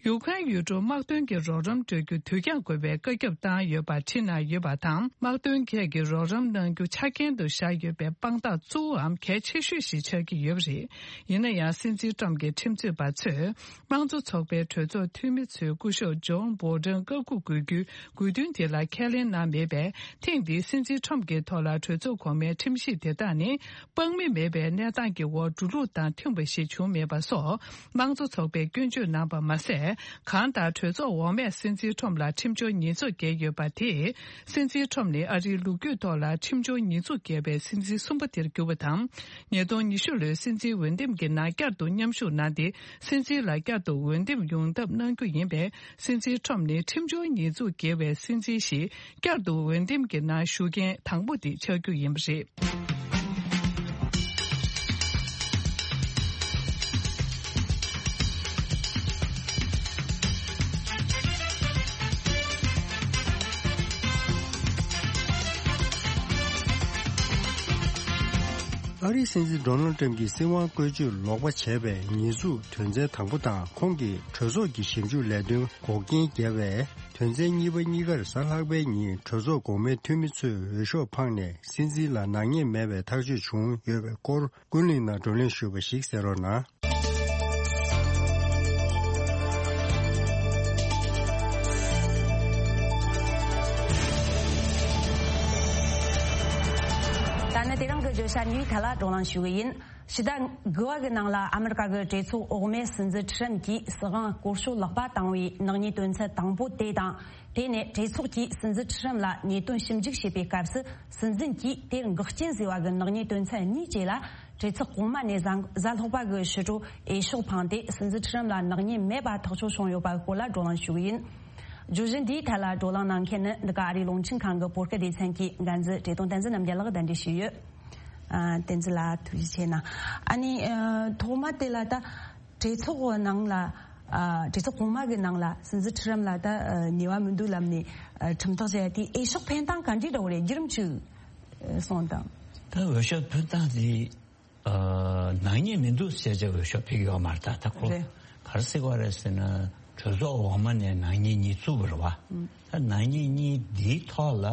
ཡུཀ་རེན་ཡུལ་གྲུར་དམག་དོན་གྱི་རོགས་རམ་སྤྲོད་རྒྱུ་དུས་འགྱངས་དགོས་པའི་བཀའ་ཁྱབ་བཏང་ཡོད་པ་ཁྲིད་གནང་ཡོད་པ་དང་། དམག་དོན་ཁག་གི་རོགས་རམ་གནང་རྒྱུ་ཆ་རྐྱེན་དུ་བཞག་ཡོད་པའི་དཔང་རྟགས་གཙོ་བོའམ་གལ་ཆེ་ཤོས་ཤིག་ཆགས་ཀྱི་ཡོད་པ་རེད། ཡིན་ན་ཡང་། སྲིད་འཛིན་ཁྲོམ་གྱི་ཁྲིམས་རྩོད་པ་ཚོས། དམངས་གཙོ་ཚོགས་པའི་གྲོས་ཚོགས་འཐུས་མི་ཚོས་སྐུ་ཞབས་ཇོན་བྷོ་ཌེན་བཀའ་འགུག་དགོས་རྒྱུའི་དགོས་འདུན་དེ་ལ་ཁས་ལེན་གནང་མེད་པས། ཐེངས་འདིའི་སྲིད་འཛིན་ཁྲོམ་གྱི་ཐོག་ལ་གྲོས་ཚོགས་གོང་མའི་ཁྲིམས་གཞི་དེ་དག་ནི། དཔང་མི་མེད་པའི་གནས་སྟངས་ཀྱི་འོག་འགྲོ་ལུགས་དང་མཐུན་པ་ཞིག་བྱུང་མེད་པ་སོགས། དམངས་གཙོ་ཚོགས་པས་སྐྱོན་བརྗོད་གནང་པ་མ་ཟད། གང་ལྟར། གྲོས་ཚོགས་འོག་མས་སྲིད་འཛིན་ཁྲོམ་ལ་ཁྲིམས་སྦྱོར་ཉེས་འཛུགས་བཀལ་ཡོད་པ་དེས། སྲིད་འཛིན་ཁྲོམ་ནི་ཨ་རིའི་ལོ་རྒྱུས་ཐོག་ལ་ཁྲིམས་སྦྱོར་ཉེས་འཛུགས་བཀལ་བའི་སྲིད་འཛིན་གསུམ་པ་དེར་གྱུར་པ་དང་། ཉིས་སྟོང་ཉི་ཤུ་ལོའི་སྲིད་འཛིན་འོས་འདེམས་ཀྱི་ནང་བསྐྱར་དུ་མཉམ་ཞུགས་གནང་སྟེ། སྲིད་འཛིན་ལ་བསྐྱར་དུ་འོས་འདེམས་ཡོང་ཐབས་གནང་རྒྱུ་ཡིན་པས། སྲིད་འཛིན་ཁྲོམ་ནི་ཁྲིམས་སྦྱོར་ཉེས་འཛུགས་བཀལ་བའི་སྲིད་འཛིན་ཞིག་བསྐྱར་དུ་འོས་འདེམས་ཀྱི་ནང་ཞུགས་མཁན་དང་པོ་དེ་ཆགས་རྒྱུ་ཡིན་པ་རེད། ཨ་རིའི་སྲིད་འཛིན་ཌོ་ནལ་ཊམ་གྱིས་སྲིད་དབང་བཀོལ་སྤྱོད་ལོག་པ་བྱས་པའི་ཉེས་འཛུགས་དོན་ཚན་དང་པོ་དང་། ཁོང་གིས་གྲོས་ཚོགས་ཀྱི་ཞིབ་འཇུག་ལས་དོན་འགོག་རྐྱེན་བརྒྱབ་པའི་དོན་ཚན་གཉིས་པ་གཉིས་ཀར་གཟའ་ལྷག་པའི་ཉིན་གྲོས་ཚོགས་གོང་མའི་འཐུས་མི་ཚོས་འོས་ཤོག་འཕངས་ནས་སྲིད་འཛིན་ལ་ནག་ཉེས་མེད་པའི་ཐག་གཅོད་བྱུང་ཡོད་པའི་སྐོར། ཀུན་གླེང་ནང་བགྲོ་གླེང་ཞུས་པ་ཞིག་གསན་རོགས་གནང་། ད་ནི་དེ་རིང་གི་བརྗོད་བྱ་གཉིས་ཐད་ལ་བགྲོ་གླེང་ཞུ་གི་ཡིན། ཕྱི་ཟླ་དགུ་པ་གི་ནང་ལ་ཨ་མི་རི་ཀ་གི་གྲོས་ཚོགས་འོག་མའི་སྲིད་འཛིན་ཁྲི་རན་གྱིས་སྲིད་དབང་སྐོར་ཞོག་ལག་པ་བཏང་བའི་ནག་ཉེས་དོན་ཚན་དང་པོ་དེ་དང་། དེ་ནས་གྲོས་ཚོགས་ཀྱིས་སྲིད་འཛིན་ཁྲི་རན་ལ་ཉེས་དོན་ཞིབ་འཇུག་བྱེད་པའི་སྐབས་སུ། སྲིད་འཛིན་གྱིས་དེར་འགོག་རྐྱེན་བཟོས་པ་གི་ནག་ཉེས་དོན་ཚན་གཉིས་བཅས་ལ། གྲོས་ཚོགས་གོང་མ་ནས་གཟའ་གཟའ་ལྷག་པ་གི་ཕྱི་དྲོ་འོས་ཤོག་འཕངས་ཏེ། སྲིད་འཛིན་ཁྲི་རན་ལ་ནག་ཉེས་མེད་པ་ཐག་གཅོད་བྱུང་ཡོད་པ་སྐོར་ལ་བགྲོ་གླེང་ཞུ་གི་ཡིན། བརྗོད་གཞི་འདིའི་ཐད་ལ་བགྲོ་གླེང་གནང་མཁན་ནི་འདི་ག་ཨ་རིའི་རླུང་འཕྲིན་ཁང་གི་བོད་སྐད་སྡེ་ཚན་གྱི་འགན་འཛིན་བཀྲས་མཐོང་བསྟན་འཛིན་རྣམ་རྒྱལ་ལགས་གདན་འདྲེན་ཞུས་ཡོད། ཨ། བསྟན་འཛིན་ལགས་ཐུགས་རྗེ་ཆེ་གནང་། ཨ་ནི་ཨ་ཐོག་མ་དེ་ལ་ད་གྲོས་ཚོགས་ནང་ལ། ཨ། གྲོས་ཚོགས་གོང་མ་གི་ནང་ལ་སྲིད་འཛིན་ཁྲི་རན་ལ་ད་ཨ་ཉེས་པ་མི་འདུག་ལབ་ནས་ཨ་ཁྲིམས་ཐག་བཅད་དེ་འོས་ཤོག་འཕེན་སྟངས་ག་འདྲ་འདྲ་བོ་རེད། བརྒྱུད་རིམ་ཅིག་ཨ་གསུངས་དང་། ད་འོས་ཤོག་འཕེན་སྟངས་དེ་ཨ་ནག་ཉེས་མི་འདུག་ཟེར་བྱས་འོས་ཤོག་འཕེན་གྱི་ཡོད་མ་རེད། ད་ད་ཁོ་རེད། ག་རེ་ཟེར་བ་རེད་ཟེར་ན། གྲོས་ཚོགས་འོག་མ་ནས་ནག་ཉེས་གཉིས་བཙུགས་པ་རེད་བ། ཨ་ད་ནག་ཉེས་གཉིས་འདིའི་ཐོག་ལ།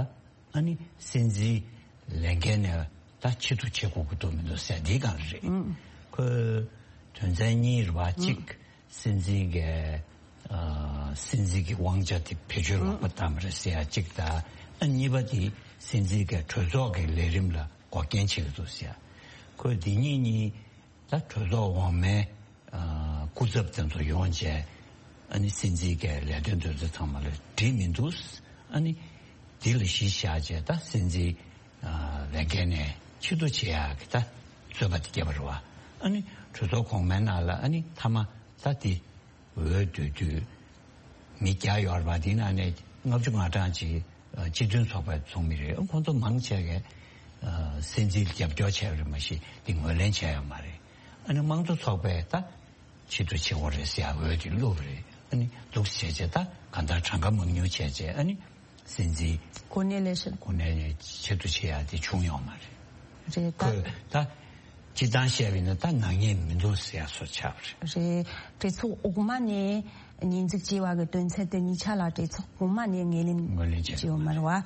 ཨ་ནི་སྲིད་འཛིན་ལས་འགན་ནས་ད་ཕྱིར་བསྡུ་བྱེད་དགོས་ཀྱི་འདུག་མི་འདུག་ཟེར་འདི་གང་རེད། ཨང་། ཁོས་དོན་ཚན་གཉིས་རེད་བ། གཅིག་སྲིད་འཛིན་གྱི་ཨ་སྲིད་འཛིན་གྱི་དབང་ཆ་དེ་བེད་སྤྱོད་ལོག་པ་བཏང་བ་རེད་ཟེར་ཡ་གཅིག་དང་། ཨ་གཉིས་པ་དེ་སྲིད་འཛིན་གྱི་གྲོས་ཚོགས་ཀྱི་ལས་རིམ་ལ་འགོག་རྐྱེན་བྱེད་ཀྱི་འདུག་ཟེར་ཡ། ཁོས་འདི་གཉིས་གཉིས། ད་གྲོས་ཚོགས་འོག་མའི་ཨ་སྐུ་ཚབ་དེ་ཚོ་ཡོང་བྱས། ཨ་ནི་སྲིད་འཛིན་གྱི་ལས་དོན་དེ་ཚོ་ཚང་མ་ལ་འགྲིག་མི་འདུག། ཨ་ནི་འདི་ལ་གཞི་བཞག་བྱས་ད་སྲིད་འཛིན་ཨ་ལས་འགན་ནས་ཕྱིར་བསྡུ་བྱེད་ཡག་གི་ད་རྩོད་པ་དེ་བརྒྱབ་པ་རེད་བ། ཨ་ནི་གྲོས་ཚོགས་གོང་མའི་ནང་ལ་ཨ་ནི་མཐའ་མ་ད་དེ། འོས་བསྡུ་དུས་མི་བརྒྱ་ཡོད་པ་དེ་ནང་ནས་ལྔ་བཅུ་ང་གྲངས་ཅིག་སྤྱི་མཐུན་ཚོགས་པའི་ཚོགས་མི་རེད། ཁོང་ཚོ་མང་ཆེ་གས་སྲིད་འཛིན་རྒྱབ་སྐྱོར་བྱས་པ་རེད། མ་གཞི་དེ་ངོས་ལེན་བྱས་ཡོད་མ་རེད། ཨ་ནི་དམངས་གཙོ་ཚོགས་པས་ད་ཕྱིར་བསྡུ་བྱེད་དགོས་རེད་ཟེར་ཡ་འོས་དེ་བླུགས་པ་རེད། ཨ་ནི་འདུག་བྱས་བྱས་ད་གང་ལྟར་གྲངས་ཀ་མང་ཉུང་བྱས་བྱས། ཨ་ནི། སྲིད་འཛིན་གོ་ནེ་ལེ་ཤན། གོ་ནེ་ལེ་ཆེད་དུ་བྱེད་ཡ་དེ་བྱུང་ཡོད་མ་རེད། རེད་ད། ཁོས་ད་སྤྱི་བཏང་བཤད་པ་ཡིན་ན་ད་ནག་ཉེས་མི་འདུག་ཟེར་ཡ་སོགས་ཆགས་པ་རེད། རེད། གྲོས་ཚོགས་འོག་མ་ནས་ཉེས་འཛུགས་བྱས་པ་གི་དོན་ཚན་དེ་གཉིས་ཆ་ལ་གྲོས་ཚོགས་གོང་མ་ནས་ངོས་ལེན་ངོས་ལེན་བྱས་བྱས་ཡོད་མ་རེད་བ།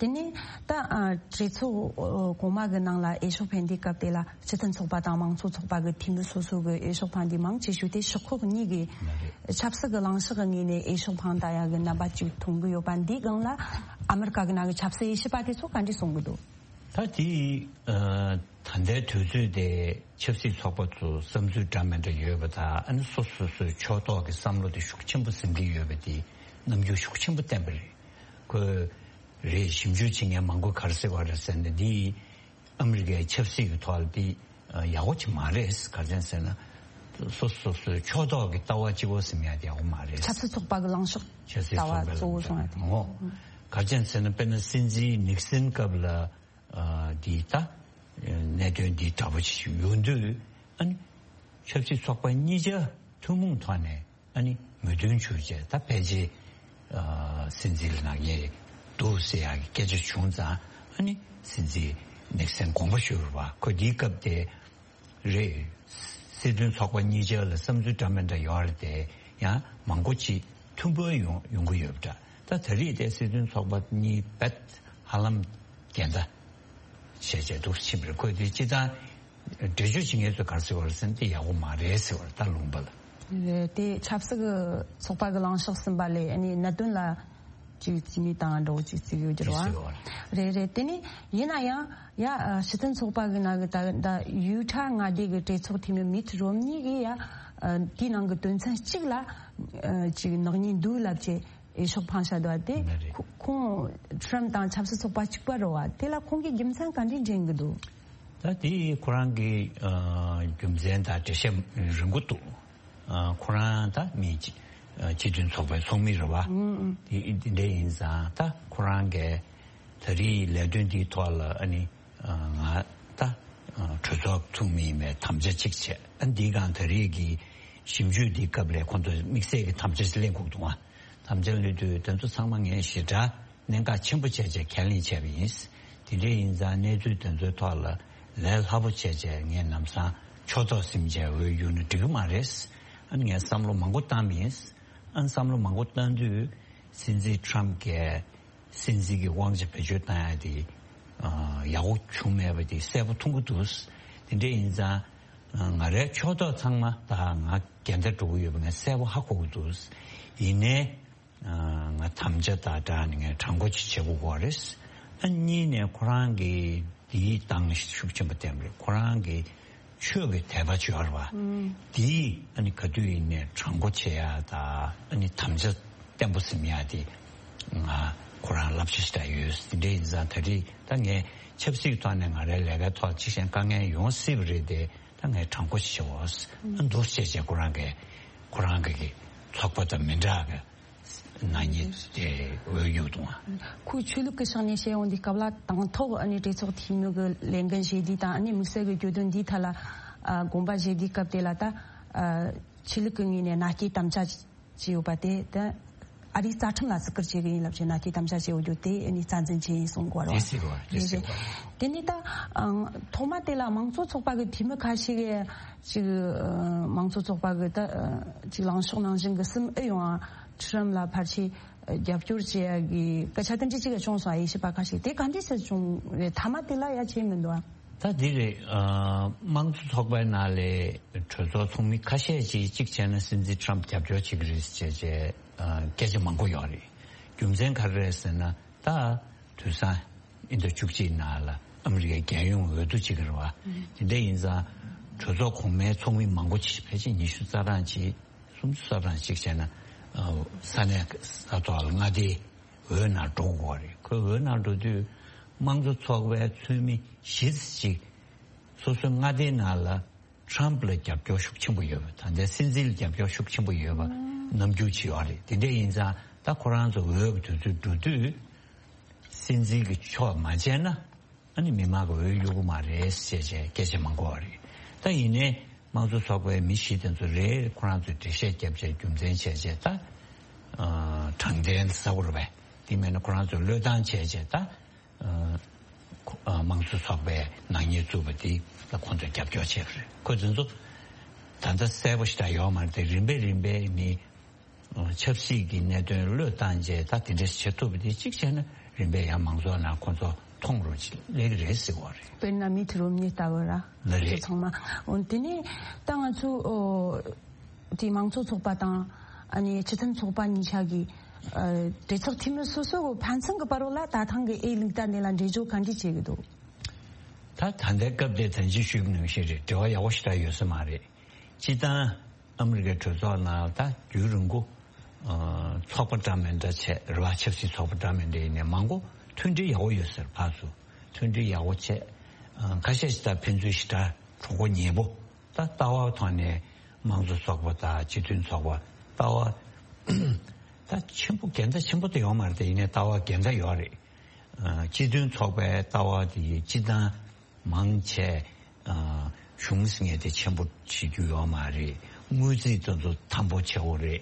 དེ་ནས་ད་ཨ་གྲོས་ཚོགས་གོང་མ་གི་ནང་ལ་འོས་ཤོག་འཕེན་དུས་སྐབས་དེ་ལ་སྤྱི་མཐུན་ཚོགས་པ་དང་དམངས་གཙོ་ཚོགས་པ་གི་འཐུས་མི་སོ་སོ་གི་འོས་ཤོག་འཕངས་དུས་མང་ཆེ་ཤོས་དེ་ཤོག་ཁག་གཉིས་ཀྱི་ཆབ་སྲིད་ཀྱི་ལངས་ཕྱོགས་ཀྱི་ངོས་ནས་འོས་ཤོག་འཕངས་བསྡད་ཡག་གི་རྣམ་པ་ཅིག་མཐོང་གི་ཡོད་པ་འདིའི་སྒང་ལ་ཨ་མི་རི་ཀ་གི་ནང་གི་ཆབ་སྲིད་དབྱེ་ཞིབ་པ་དེ་ཚོ་ག་འདྲས་གསུང་གི་འདུག་ད་དེ་ཨ་ད་ལྟའི་དུས་ཚོད་དེ་ཆབ་སྲིད་ཚོགས་པ་ཚོ་བསམ་ཚུལ་འདྲ་མི་འདྲ་ཡོད་པ་དང་། ཨ་ནི་སོ་སོ་སོའི་ཕྱོགས་གཏོགས་ཀྱི་བསམ་བློ་དེ་ཤུགས་ཆེན་པོ་འཛིན་གྱི་ཡོད་པ་དེ་རྣམ་འགྱུར་ཤུགས་ཆེན་པོ་བསྟན་པ་རེད། ཁོས་ རེད། ཞིབ་འཇུག་བྱེད་མཁན་མང་པོ་ག་རེ་ཟེར་བ་རེད་ཟེར་ན། འདི་ཨ་མི་རི་ཀའི་ཆབ་སྲིད་ཀྱི་ཐོག་ལ་འདི་ཡག་པོ་ཅིག་མ་རེད། ག་རེ་ཟེར་ན། སོ་སོ་སོའི་ཕྱོགས་གཏོགས་ཀྱི་ལྟ་བ་གཅིག་པོ་ཟིན་ཡ་དེ་ཡག་པོ་མ་རེད། ཆབ་སྲིད་ཚོགས་པ་གི་ལངས་ཕྱོགས་ཆབ་སྲིད་ལྟ་བ་ཚོགས་པ་གི་གཙོ་བོ་བཟུང་ཡ་དེ། ཨོ། ག་རེ་ཟེར་ན། དཔེར་ན་སྲིད་འཛིན་ནིག་སན་སྐབས་ལ་འདི་ད་གནད་དོན་འདི་འདྲ་པོ་ཅིག་ཡོང་དུས། ཨ་ནི་ཆབ་སྲིད་ཚོགས་པ་གཉིས་ཆ་ཐུན་མོང་ཐོག་ནས་ཨ་ནི་མོས་མཐུན་བྱུང་བྱས། ད་ཕལ་ཆེར་ཨ་སྲིད་འཛིན་ལ་ནག་ཉེས་འདུག་ཟེར་ཡག་གི་སྐད་ཆ་བྱུང་ཙང་། ཨ་ནི་སྲིད་འཛིན་ནིག་སན་དགོངས་པ་ཞུ་བ། ཁོ་འདིའི་སྐབས་དེ་རེད། སྲིད་དོན་ཚོགས་པ་གཉིས་ཆ་ལ་བསམ་ཚུལ་འདྲ་མི་འདྲ་ཡོད་རེད་དེ། ཡང་མང་པོ་ཅིག་མཐུན་པོ་ཡོང་ཡོང་གི་ཡོད་པ་འདྲ། ད་ད་རེས་དེ་སྲིད་དོན་ཚོགས་པ་གཉིས་རྦད་ཧ་ལམ་འགལ་ཟླ་བྱས་བྱས་འདུག་ཕྱིན་པ་རེད། ཁོས་དེ་སྤྱིར་བཏང་འགྲེལ་བརྗོད་བྱེད་མཁན་ཚོས་ག་རེ་ཟེར་བ་རེད་ཟེར་ན། དེ་ཡག་པོ་མ་རེད་ཟེར་བ་རེད། ད་ལུང་པ་ལ། རེད། དེ་ཆབ་སྲིད་ཀྱི་ཚོགས་པ་གི་ལངས་ཕྱོགས་ཟིན་པ་ལས་ཨ་ནི་གནད་དོན་ལ་ཅིག་རྩིས་མེད་བཏང་འགྲོ་ཅིག་རྩིས་ཡོད་ཀྱི་རེད་བ། རེད་རེད། དེ་ནི་ཡིན་ན་ཡང་ཡ་ཨ་སྤྱི་མཐུན་ཚོགས་པ་གི་ནང་གི་ད་ད་ཡུ་ཊ་མངའ་སྡེ་གི་གྲོས་ཚོགས་འཐུས་མི་མིད་རོམ་ནི་གི་ཡ་ཨ་དེའི་ནང་གི་དོན་ཚན་གཅིག་ལ་ཨ་ཅིག་ནག་ཉེས་འདུག་ལབ་བྱས། འོས་ཤོག་འཕངས་བཞག་འདུག་བ། དེ་ལགས་རེད། ཁོ་ཁོང་ཊྲམ་དང་ཆབ་སྲིད་ཚོགས་པ་གཅིག་པ་རེད་བ། དེ་ལ་ཁོང་གིས་རྒྱུ་མཚན་ག་འདྲས་འདྲེན་གི་འདུག་ད་དེ་ཁོ་རང་གི་ཨ་རྒྱུ་མཚན་དང་འགྲེལ་བཤད་རིང་པོ་འདུག་ཨ་ཁོ་རང་ད་མི་སྤྱི་སྤྱི་མཐུན་ཚོགས་པའི་ཚོགས་མི་རེད་བ། ཨང་ཨང་། དེ་དེ་འདྲ་ཡིན་ཙང་། ད་ཁོ་རང་གིས་ད་རེས་ལས་དོན་འདིའི་ཐོག་ལ་ཨ་ནི་ང་ད་གྲོས་ཚོགས་ཚོགས་མི་ཡིན་པའི་དམ་བཅའ་གཅིག་བྱས། ཨ་འདིའི་སྒང་ད་རེས་ཀྱི་ཞིབ་འཇུག་འདིའི་སྐབས་ལ་ཁོང་ཚོས་དམིགས་བསལ་གྱི་དམ་བཅའ་ཞིག་ལེན་དགོས་འདུག་ཨ། དམ་བཅའ་ལེན་དུས་དེ་ཚོ་ཚང་མ་ངས་ཞེ་དྲག་གནད་འགག་ཆེན་པོ་བྱས་བྱས་ཁས་ལེན་བྱས་པ་ཡིན། དེ་འདྲ་ཡིན་ཙང་གནས་ཚུལ་དེ་ཚོའི་ཐོག་ལ་ལས་སླ་པོ་བྱས་བྱས་ངས་ལམ་སང་ཕྱོགས་གཏོགས་ཟིན་བྱས་འོས་བསྡུ་ན་འགྲིག་གི་མ་རེད། ཨ་ནི་ངས་བསམ་བློ་མང་པོ་བཏང་པ་ཡིན། ཨ་ནི་བསམ་བློ་མང་པོ་བཏང་དུས་སྲིད་འཛིན་ཊྲམ་གྱིས་སྲིད་འཛིན་གྱི་དབང་ཆ་བེད་སྤྱོད་བཏང་ཡ་དེ་ཨ་ཡག་པོ་བྱུང་མེད་པ་དེ་གསལ་པོ་མཐོང་གི་འདུག་དེ་འདྲ་ཡིན་ཙང་ང་རའི་ཕྱོགས་གཏོགས་ཚང་མ་ད་ང་འགལ་ཟླ་འགྲོ་གི་ཡོད་པ་ངས་གསལ་པོ་ཧ་གོ་གི་འདུག་ཡིན་ནའི་ང་དམ་བཅའ་དང་སྦྲགས་ནས་ངས་དྲང་པོ་ཅིག་བྱེད་དགོས་ཀྱི་རེད། ཨ་གཉིས་ནས་ཁོ་རང་གིས་འདིའི་སྟེང་ཤུགས་ཆེན་པོ་བསྟན་པ་རེད། ཁོ་རང་གིས་ཆོས་ཀྱི་དད་པ་ཅིག་ཡོད་རེད་བ། ཨང་། འདིས་ཨ་ནི་ག་དུས་ཡིན་ནའི་དྲང་པོ་བྱེད་ཡ་དང་ཨ་ནི་དམ་བཅའ་བརྟན་པོ་ཟིན་ཡ་དེ་ང་ཁོ་རང་བསླབ་བྱ་ཞིག་ད་ཡོད། དེ་འདྲ་ཡིན་ཙང་ད་རེས་ད་ངས་ཆབ་སྲིད་ཐོག་ནས་ང་རའི་ལས་ཀའི་ཐོག་ཅིག་གཞན་དཀའ་ངལ་ཡོང་སྲིད་པ་རེད་དེ། ད་ངས་དྲང་པོ་ཞིག་བྱེད་འོ། ཨ་འདུག་བྱས་བྱས་ཁོ་རང་གིས་ཁོ་རང་གི་གི་ཚོགས་པ་དང་མི་འདྲ་གི་ནག་ཉེས་དེ་འོས་ཡོད་འདུག་ཨ། ཁོས་ཆོས་ལུགས་ཀྱི་ཕྱོགས་ནས་བཤད་ཡོང་དུས་སྐབས་ལ་དང་ཐོག་ཨ་ནི་གྲོས་ཚོགས་འཐུས་མི་གི་ལས་འགན་བཞེས་དུས་དང་། ཨ་ནི་དམིགས་བསལ་གྱི་གྱོད་དོན་འདིའི་ཐད་ལ་ཨ་དགོངས་པ་བཞེས་དུས་སྐབས་དེ་ལ་ད་ཨ་ཆོས་ལུགས་ཀྱི་ངོས་ནས་མནའ་སྐྱེལ་དམ་བཅའ་བྱས་ཡོད་པ་དེ་ད་ཨ་རིའི་རྩ་ཁྲིམས་ལ་བརྩི་བཀུར་བྱེད་ཀྱི་ཡིན་ལབ་བྱས་མནའ་སྐྱེལ་དམ་བཅའ་བྱས་ཡོད་རྒྱུ་དེ་ཨ་ནི་རྩ་འཛིན་བྱས་ཡིན་གསུང་གི་ཡོད་རེད་བ། དེ་ཟེར་གི་ཡོད་རེད། དེ་ཟེར་གི་ཡོད་རེད། དེ་ནས་ད་ཨང་ཐོག་མ་དེ་ལ་མང་གཙོ་ཚོགས་པ་གི་འཐུས་མི་ཁ་ཤས་ཀྱིས་ཅིག་ཨ་མང་གཙོ་ཚོགས་པ་གི་ད་ཨ་ཅིག་ལངས་ཕྱོགས་ནང་བཞིན་གྱི་སེམས་ཨེ་ཡོང་ཨ། ཊྲམ་ལ་ཕལ་ཆེར་རྒྱབ་སྐྱོར་བྱེད་ཡ་གི་སྐད་ཆ་དེ་འདྲ་ཅིག་བྱུང་སོང་། དབྱེ་ཞིབ་པ་ཁ་ཤས་དེ་ག་འདྲ་ཞིག་བྱུང་རེད། མཐའ་མ་དེ་ལ་ཡ་བྱས་མི་འདུག་ཨ། ད་འདི་རེད། ཨ་དམངས་གཙོ་ཚོགས་པའི་ནང་ལས་གྲོས་ཚོགས་ཚོགས་མི་ཁ་ཤས་ཅིག་གཅིག་བྱས་ན་སྲིད་འཛིན་ཊྲམ་རྒྱབ་སྐྱོར་བྱེད་ཀྱི་རེད་ཅེས་བྱས་ཨ་སྐད་ཆ་མང་པོ་ཡོད་རེད། རྒྱུ་མཚན་ག་རེ་རེད་ཟེར་ན། ད་དུས་སང་ཨིན་ཟླ་བཅུ་གཅིག་ནང་ལ་ཨ་མི་རི་ཀའི་རྒྱལ་ཡོངས་འོས་བསྡུ་བྱེད་ཀྱི་རེད་བ། དེ་འདྲ་ཡིན་ཙང་གྲོས་ཚོགས་གོང་མའི་ཚོགས་མི་མང་པོ་ཅིག་ཕལ་ཆེར་ཉི་ཤུ་རྩ་གྲངས་ཅིག་སུམ་ཅུ་རྩ་གྲངས་ཅིག་བྱས་ན་ཨ་ས་གནས་ས་ཐོག་ལ་མངའ་སྡེའི་འོས་ནང་འགྲོ་དགོས་རེད། ཁོའི་འོས་ནང་འགྲོ་དུས་དམངས་གཙོ་ཚོགས་པའི་ཚོགས་མི་བཞི་ཙམ་ཅིག་སོ་སོའི་མངའ་སྡེའི་ནང་ལ་ཊྲམ་ལ་རྒྱབ་སྐྱོར་ཤུགས་ཆེན་པོ་ཡོད་པ། ད་ལྟའི་སྲིད་འཛིན་ལ་རྒྱབ་སྐྱོར་ཤུགས་ཆེན་པོ་ཡོད་པ་རྣམ་འགྱུར་ཅིག་ཡོད་རེད། དེ་འདྲ་ཡིན་ཙང་ད་ཁོ་རང་ཚོ་འོས་ཀྱི་དུས་ཚོད་འགྲོ་དུས་སྲིད་འཛིན་གྱི་ཕྱོགས་མ་བྱས་ན་ཨ་ནི་མི་མང་གི་འོས་གཡུག་གི་མ་རེད་ཅེས་བྱས་སྐད་ཆ་མང་པོ་ཡོད་རེད། ད་ཡིན་ནའི་དམངས་གཙོ་ཚོགས་པའི་མི་བཞི་དེ་ཚོ་རེ་རེ་ཁོ་རང་ཚོས་འགྲེལ་བཤད་བརྒྱབ་བྱས་རྒྱུ་མཚན་བྱས་བྱས་ད་ཨ་དྲང་བདེན་ཟེར་དགོས་རེད་པས། དེ་མིན་ན་ཁོ་རང་ཚོས་བློས་བཏང་བྱས་བྱས་ད། ཨ་ཁོ་ཨ་དམངས་གཙོ་ཚོགས་པའི་ནག་ཉེས་བཙུགས་པ་དེ་ལ་ཁོང་ཚོས་རྒྱབ་སྐྱོར་བྱས་པ་རེད། ཁོ་ཚོ་ཚོ་ད་ལྟ་གསལ་པོ་ཞིག་ད་ཡོད་མ་རེད་དེ། རིམ་པས་རིམ་པས་ནི་ཨ་ཆབ་སྲིད་ཀྱི་གནད་དོན་བློས་བཏང་བྱས་ད་དེ་འདྲ་བྱེད་ཐུབ་པ་དེ་གཅིག་བྱས་ན་རིམ་པས་ཡང་མང་ཚོགས་ནང་ཁོང་ཚོ་མཐོང་རོགས་ཅིག་སླེབས་ཀྱི་རེད་ཟེར་བ་རེད། དཔེར་ན་མིད་རོམ་ནི་ལྟ་བུ་ར། ལ་རེད། ཚང་མ་འོན་དེ་ནས་ད་ང་ཚོ་ཨོ། དེ་མང་གཙོ་ཚོགས་པ་དང་ཨ་ནི་སྤྱི་མཐུན་ཚོགས་པ་གཉིས་ཆ་གི་ཨ་གྲོས་ཚོགས་འཐུས་མི་སོ་སོ་གི་ཕན་ཚུན་གི་བར་ལ་ད་ཐེངས་གི་ཨེ་ལུག་ད་འདི་ལ་འགྲེལ་བརྗོད་ག་འདྲ་བྱེད་གི་འདུག་ད་ད་ལྟའི་སྐབས་དེ་ད་ཅི་ཞུས་པ་ནང་བཞིན་རེད། འབྲེལ་བ་ཡག་པོ་ཞིག་ད་ཡོད་ས་མ་རེད། སྤྱིར་བཏང་ཨ་མི་རི་ཀའི་གྲོས་ཚོགས་ནང་ད་རྒྱུན་རིང་པོ་ཨ་ཚོགས་པ་འདྲ་མི་འདྲ་བྱས་རེད་བ། ཆབ་སྲིད་ཚོགས་པ་འདྲ་མི་འདྲ་ཡིན་ནའི་མང་པོ་ མཐུན་སྒྲིལ་ཡག་པོ་ཡོད་ཟེར། ཕར་ཚུར་མཐུན་སྒྲིལ་ཡག་པོ་བྱས། ཨ། ཁ་ཤས་ཤིག་ད་ཕན་ཚུན་ཞེ་དྲག་གྲོགས་པོ་ཉེ་པོ། ད་ལྟ་བ་ཐོག་ནས་དམངས་གཙོ་ཚོགས་པ་དང་སྤྱི་མཐུན་ཚོགས་པ། ལྟ་བ་ད་ཆེན་པོ་འགལ་ཟླ་ཆེན་པོ་དེ་ཡོད་མ་རེད་དེ། ཡིན་ནའི་ལྟ་བ་འགལ་ཟླ་ཡོད་རེད། ཨ། སྤྱི་མཐུན་ཚོགས་པའི་ལྟ་བ་དེ་སྤྱི་བཏང་མང་ཆེ། ཨ། གཞུང་ཟེར་མཁན་དེ་ཆེན་པོ་བྱེད་རྒྱུ་ཡོད་མ་རེད། དངུལ་རྩིས་དེ་ཚོ་དམ་པོ་བྱེད་དགོས་རེད།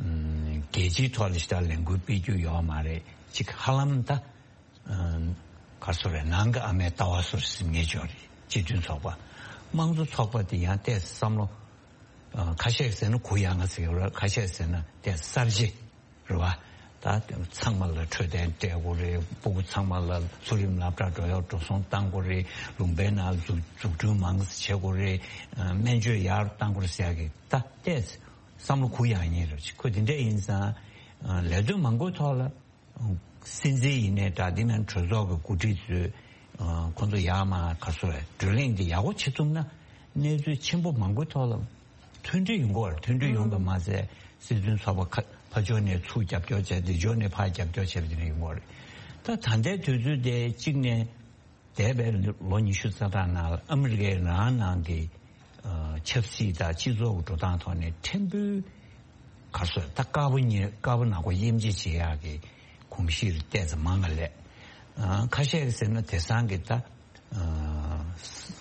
ཨ། རྒྱལ་སྤྱིའི་ཐོག་ལ་ཞེ་དྲག་ལས་འགུལ་སྤེལ་རྒྱུ་ཡོད་མ་རེད། ཅིག་ཧ་ལམ་ད། ཨ། ག་རེ་ཟེར་རེད། ནང་གི་ཨ་མའི་ལྟ་བ་བཟོ་འདྲ་ཟེར་མཁན་ཅིག་ཡོད་རེད། སྤྱི་མཐུན་ཚོགས་པ། དམངས་གཙོ་ཚོགས་པ་དེ་ཡང་ཏོག་ཙམ་བསམ་བློ། ཨ། ཁ་ཤས་ཟེར་ན་གུ་ཡངས་ཟེར་གྱི་ཡོད་རེད། ཁ་ཤས་ཟེར་ན་ཏོག་ཙམ་གསར་བརྗེ་རེད་བ། ད་ཚང་མ་ལ་འཕྲོད་བསྟེན་སྤྲད་དགོས་རེད། སྤུ་གུ་ཚང་མ་ལ་མཐོ་རིམ་སློབ་གྲྭ་འགྲོ་ཡག་འགྲོ་སོང་གཏང་དགོས་རེད། ལུང་པའི་ནང་འཛུགས་འཛུགས་སྐྲུན་མང་ཙམ་བྱེད་དགོས་རེད། ཨ། སྨན་བཅོས་ཡར་གཏང་དགོས་རེད་ཟེར་ཡག་གི་ད་ཏོག་ཙམ་བསམ་བློ་གུ་ཡངས་ཡིན་རེད། ཁོ་དེ་འདྲ་ཡིན་ཙང་། ཨ། ལས་དོན་མང་པོའི་ཐོག་ལ། སྲིད་འཛིན་ཡིན་ནའི་འདྲ། འདི་ནང་གྲོས་ཚོགས་ཀྱི་འགོ་ཁྲིད་ཚོས། ཨ། ཁོང་ཚོ་ཡར་མར་ག་རེ་ཟེར་རེད། བགྲོ་གླེང་འདི་ཡག་པོ་བྱེད་ཐུབ་ན། གནས་ཚུལ་ཆེན་པོ་མང་པོའི་ཐོག་ལ་མཐུན་སྒྲིལ་ཡོང་གི་ཡོད་རེད། མཐུན་སྒྲིལ་ཡོང་གི་མ་ཟད། སྲིད་དོན་ཚོགས་པ་ཁ་ཕར་ཕྱོགས་ནས་ཚུར་རྒྱབ་སྐྱོར་བྱས། འདི་ཕྱོགས་ནས་ཕར་རྒྱབ་སྐྱོར་བྱས་པ་དེ་འདྲ་ཡོང་གི་ཡོད་རེད། ད་ད་ལྟའི་དུས་ཚོད་དེ་གཅིག་ནས། འདས་པའི་ལོ་ཉི་ཤུ་རྩ་གྲངས་ནང་ལ་ཨ་མི་རི་ཀའི་རང་ནང་གི། ཨ། ཆབ་སྲིད་དང་སྤྱི་ཚོགས་ཀྱི་འགྲོ་སྟངས་ཐོག་ནས་ཕྲན་བུ། ག་རེ་ཟེར། ད་དཀར་པོ་ཉེ་དཀར་པོ་ནག་པོ་དབྱེ་འབྱེད་བྱེད་ཡག་གི་གོམས་གཤིས་ཏོག་ཙམ་མང་ང་སླེབས། ཨ། ཁ་ཤས་ཀྱིས་ཟེར་ན་དེང་སང་གི་ད། ཨ།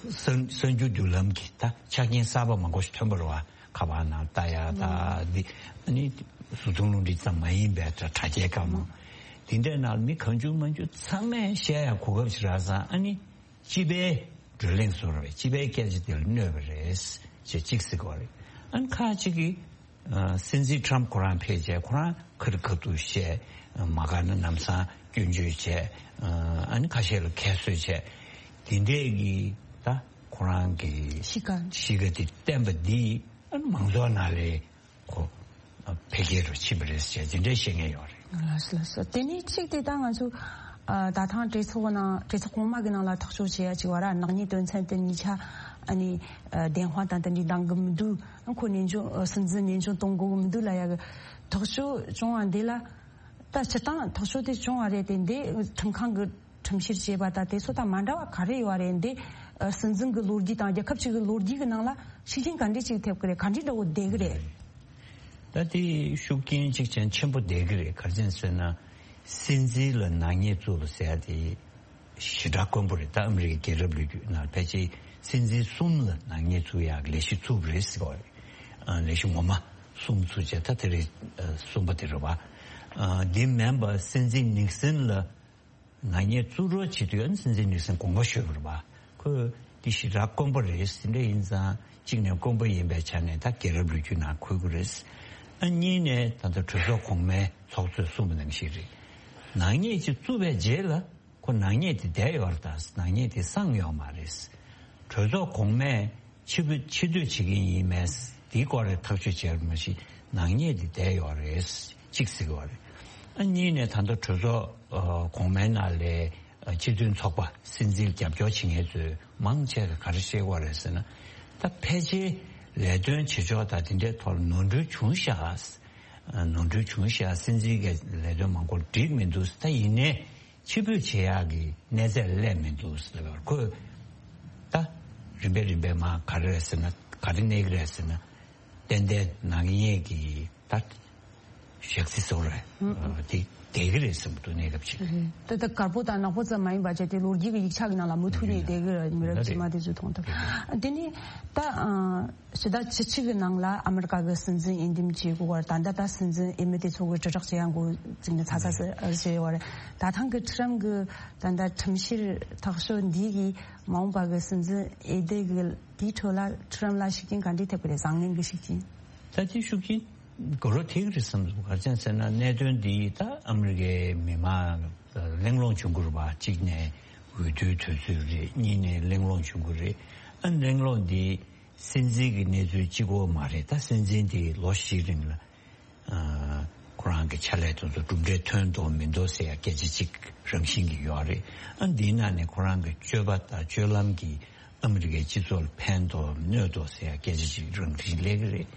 གསར་གསར་འགྱུར་བརྒྱུད་ལམ་གྱི་ད་ཆ་རྐྱེན་གསར་པ་མང་པོ་ཞིག་ཐོན་པ་རེད་བ། ཁ་པར་ནང་ལྟ་ཡག་དང་། འདི་ཨ་ནི་གཟུགས་མཐོང་རླུང་འཕྲིན་ཙམ་མ་ཡིན་པའི་དྲ་དྲ་རྒྱའི་སྒང་མོ། དེ་འདྲའི་ནང་མི་གང་བྱུང་མང་བྱུང་ཚང་མས་བཤད་ཡག་གོ་སྐབས་ཤིག་རག་ཙང་། ཨ་ནི་སྤྱི་པའི་བགྲོ་གླེང་བཟོ་འདྲ་བའི་སྤྱི་པའི་སྐད་ཆ་དེ་ལ་གནོད་པ་རེད་ཅེས་གཅིག་ཟེར་གྱི་ཡོད་རེད། ཨ་ནི་ཁ་ཅིག་གིས། ཨ། སྲིད་འཛིན་ཊམ་ཁོ་རང་ཕེབས་བྱས་ཁོ་རང་ཁ་རི་ཁ་ཐུག་བཤད། མ་དགའ་ན་ལམ་སང་སྐྱོན་བརྗོད་བྱས། ཨ་ནི་ཁ་ཤས་ལ་ཁྱད་གསོད་བྱས། དེ་འདྲས་ཀྱི་ད་ཁོ་རང་གི་གཤིས་ཀ་གཤིས་ཀ་དེ་བསྟན་པ་འདི། ཨ་ནི་མང་ཚོགས་ནང་ལ་ཁོ་འཕེལ་རྒྱས་འགྲོ་ཕྱིན་པ་རེད་ཟེར་དེ་འདྲས་བཤད་མཁན་ཡོད་རེད། ལགས་སོ། ལགས་སོ། དེ་ནས་གཅིག་དེ་ད་ང་ཚོ། ཨ། ད་ཐེངས་གྲོས་ཚོགས་ནང་གྲོས་ཚོགས་གོང་མ་གི་ནང་ལ་ཐག་གཅོད་བྱེད་ཡ་གཅིག་བར་ནག་ཉེས་དོན་ཚན་དེ་གཉིས་ཆ། ཨ་ནི། ཨ། བདེན་དཔང་དང་དེ་འདྲའི་འདང་གི་མི་འདུག་ཁོ་ནན་སྐྱོན། ཨ། སྲིད་འཛིན་ནན་སྐྱོན་གཏོང་དགོས་གི་མི་འདུག་ལབ་ཡ་གི་ཐག་གཅོད་བྱུང་བ་འདི་ལ། ད་སྤྱིར་བཏང་ཐག་གཅོད་དེ་བྱུང་བ་རེད་དེ། འདི་ཁྲིམས་ཁང་གི་ཁྲིམས་བཤེར་བྱས་པ་དང་དེ་ཚོ་དང་མ་འདྲ་བ་ག་རེ་ཡོད་རེད། འདི་སྲིད་འཛིན་གྱི་ལོ་རྒྱུས་དང་རྒྱལ་ཁབ་ཅིག་གི་ལོ་རྒྱུས་ཀྱི་ནང་ལ་ཤུགས་རྐྱེན་ག་འདྲས་ཅིག་ཐེབས་ཀྱི་རེད། ག་འདྲས་འདྲ་བོ་བསྡད་ཀྱི་རེད། ད་དེ་ཤུགས་རྐྱེན་ཅིག་ཅན་ཆེན་པོ་བསྡད་ཀྱི་རེད། ག་རེ་བྱས་ཟེར་ན། སྲིད་འཛིན་ལ་ནག་ཉེས་བཙུགས་པ་ཟེར་ཡ་དེ་ཞེ་དྲག་དཀོན་པོ་རེད། ད་ཨ་མི་རི་ཀའི་རྒྱལ་རབས་ལོ་རྒྱུས་ནང་ཕལ་ཆེར་སྲིད་འཛིན་གསུམ་ལ་ནག་ཉེས་བཙུགས་ཡག་ལས་གཞི་བཙུགས་པ་རེད་ཟེར་བ་རེད། ཨ། ལས་གཞི་ངོ་མ་གསུམ་བཙུགས་བྱས། ད་དེ་རིང་གསུམ་པ་དེ་རེད་བ། ཨ། འདི་མིན་པ་སྲིད་འཛིན་ནིག་སན་ལ་ནག་ཉེས་བཙུགས་རོགས་བྱེད་དུས། ཨ་ནི་སྲིད་འཛིན་ནིག་སན་དགོངས་པ་ཞུས་པ་རེད་བ། ཁོས་འདི་ཞེ་དྲག་དཀོན་པོ་རེད། དེ་འདྲ་ཡིན་ཙང་གཅིག་ནས་དཀོན་པོ་ཡིན་པའི་ཆ་ནས་ད་རྒྱལ་རབས་ལོ་རྒྱུས་ནང་འཁོད་ཀྱི་རེད། ཨ། གཉིས་ནས་ད་ལྟ་གྲོས་ཚོགས་གོང་མའི་ཚོགས་གཙོས་གསུངས་པ་ནང་བཞིན་རེད། ནག་ཉེས་ཅིག་བཙུགས་པའི་རྗེས་ལ་ཁོ་ནག་ཉེས་དེ་བསྡད་ཡོད་རེད། ད་ནག་ཉེས་དེ་སངས་ཡོད་མ་རེད། གྲོས་ཚོགས་གོང་མས་ཕྱིར་ཕུད་ཕྱིར་སྡོད་བྱེད་ཀྱི་ཡིན་མེད། དེའི་སྐོར་ལ་ཐག་གཅོད་བྱས་པ་མ་གཞི་ནག་ཉེས་དེ་བསྡད་ཡོད་རེད། གཅིག་ཟེར་གྱི་ཡོད་རེད། ཨ། གཉིས་ནས་ད་ལྟ་གྲོས་ཚོགས། ཨ། གོང་མའི་ནང་ལ། ཨ། སྤྱི་མཐུན་ཚོགས་པ་སྲིད་འཛིན་རྒྱབ་སྐྱོར་བྱེད་མཁན་ཚོས་མང་ཆེ་ག་རེ་བཤད་ཀྱི་ཡོད་རེད་ཟེར་ན། ད་ཕལ་ཆེར་ལས་དོན་བྱེད་ཕྱོགས་དང་དེ་འདྲའི་ཐོག་ལ་ནོར་འཁྲུལ་བྱུང་ཤག་ཨ། ནོར་འཁྲུལ་བྱུང་ཤག་སྲིད་འཛིན་གྱི་ལས་དོན་མང་པོ་འགྲིག་མི་འདུག་ད་ཡིན་ནའི་ཕྱིར་འབུད་བྱེད་ཡག་གི་གནས་ཚད་སླེབས་མི་འདུག་ཟེར་བར། ཁོས་ད་རིམ་པས་རིམ་པས་མར་ག་རེ་རེད་ཟེར་ན། ག་རེ་གནས་ཀྱི་རེད་ཟེར་ན། ཏན་ཏན་ནག་ཉེས་ཀྱི་ད་ཞག་ཚི་ཟེར་བ་རེད། ཨ། དེ་བསྡད་ཀྱི་རེད་བསམ་གྱི་འདུག་གནས་སྐབས་ཅིག་ད་ལྟ་དཀར་པོ་དང་ནག་པོ་ཙམ་མ་ཡིན་པ་བྱས་ཏེ་ལོ་རྒྱུས་ཀྱི་ཡིག་ཆ་གི་ནང་ལ་མུ་མཐུད་ནས་བསྡད་ཀྱི་རེད། མི་རབས་རྗེས་མ་དེ་ཚོས་མཐོང་ཐུབ། དེ་ནས་ད། ཨ། ཕྱི་ཟླ་བཅུ་གཅིག་གི་ནང་ལ་ཨ་མི་རི་ཀ་གི་སྲིད་འཛིན་འོས་འདེམས་བྱེད་དགོས་པར། ད་ལྟ་ད་སྲིད་འཛིན་འོས་མི་དེ་ཚོ་གི་དྲིལ་བསྒྲགས་བྱེད་ཡ་འགོ་བཙུགས་ནས་ཚ་ཚ་ཟེར་བྱས་ཡོད་རེད། ད་ཐེངས་ཀྱི་ཁྲི་རམ་གི་ད་ལྟ་ཁྲིམས་བཤེར་ཐག་གཅོད་འདི་གིས་མ་འོངས་པ་གི་སྲིད་འཛིན་འོས་བསྡུ་གི་དེའི་ཁྲོད་ལ་ཁྲི་རམ་ལ་ཤུགས་རྐྱེན་ག་འདྲས་ཐེབས་ཀྱི་རེད། བཟང་ངན་གྱི་ཤུགས་རྐྱེན། ད་དེ་ཤུགས་རྐྱེན་དགོས་རོགས་ཐེབས་ཀྱི་རེད་བསམ་འདུག་ག་རེ་བྱས་ཟེར་ན། གནད་དོན་འདི་ད་ཨ་མི་རི་ཀའི་མི་མང་གླེང་སློང་བྱུང་གི་རེད་པ། གཅིག་ནས་འོས་བསྡུའི་དུས་ཚོད་རེད། གཉིས་ནས་གླེང་སློང་བྱུང་གི་རེད། ཨ། གླེང་སློང་འདི་སྲིད་འཛིན་གྱི་གནས་ཚུལ་གཅིག་པོ་མ་རེད། ད་སྲིད་འཛིན་དེ་ལོ་བཞིའི་རིང་ལ། ཨ། ཁོ་རང་གི་ཕྱག་ལས་དེ་ཚོ་གྲུབ་འབྲས་ཐོན་འདུག་མི་འདུག་ཟེར་ཡ་སྐད་ཆ་གཅིག་རང་བཞིན་གྱི་ཡོད་རེད། ཨ། འདིའི་ནང་ནས་ཁོ་རང་གི་སྤྱོད་པ་དང་སྤྱོད་ལམ་གྱིས་ཨ་མི་རི་ཀའི་སྤྱི་ཚོགས་ལ་ཕན་ཐོགས་གནོད་དོ་ཟེར་ཡ་སྐད་ཆ་གཅིག་རང་བཞིན་སླེབས་ཀྱི་རེད།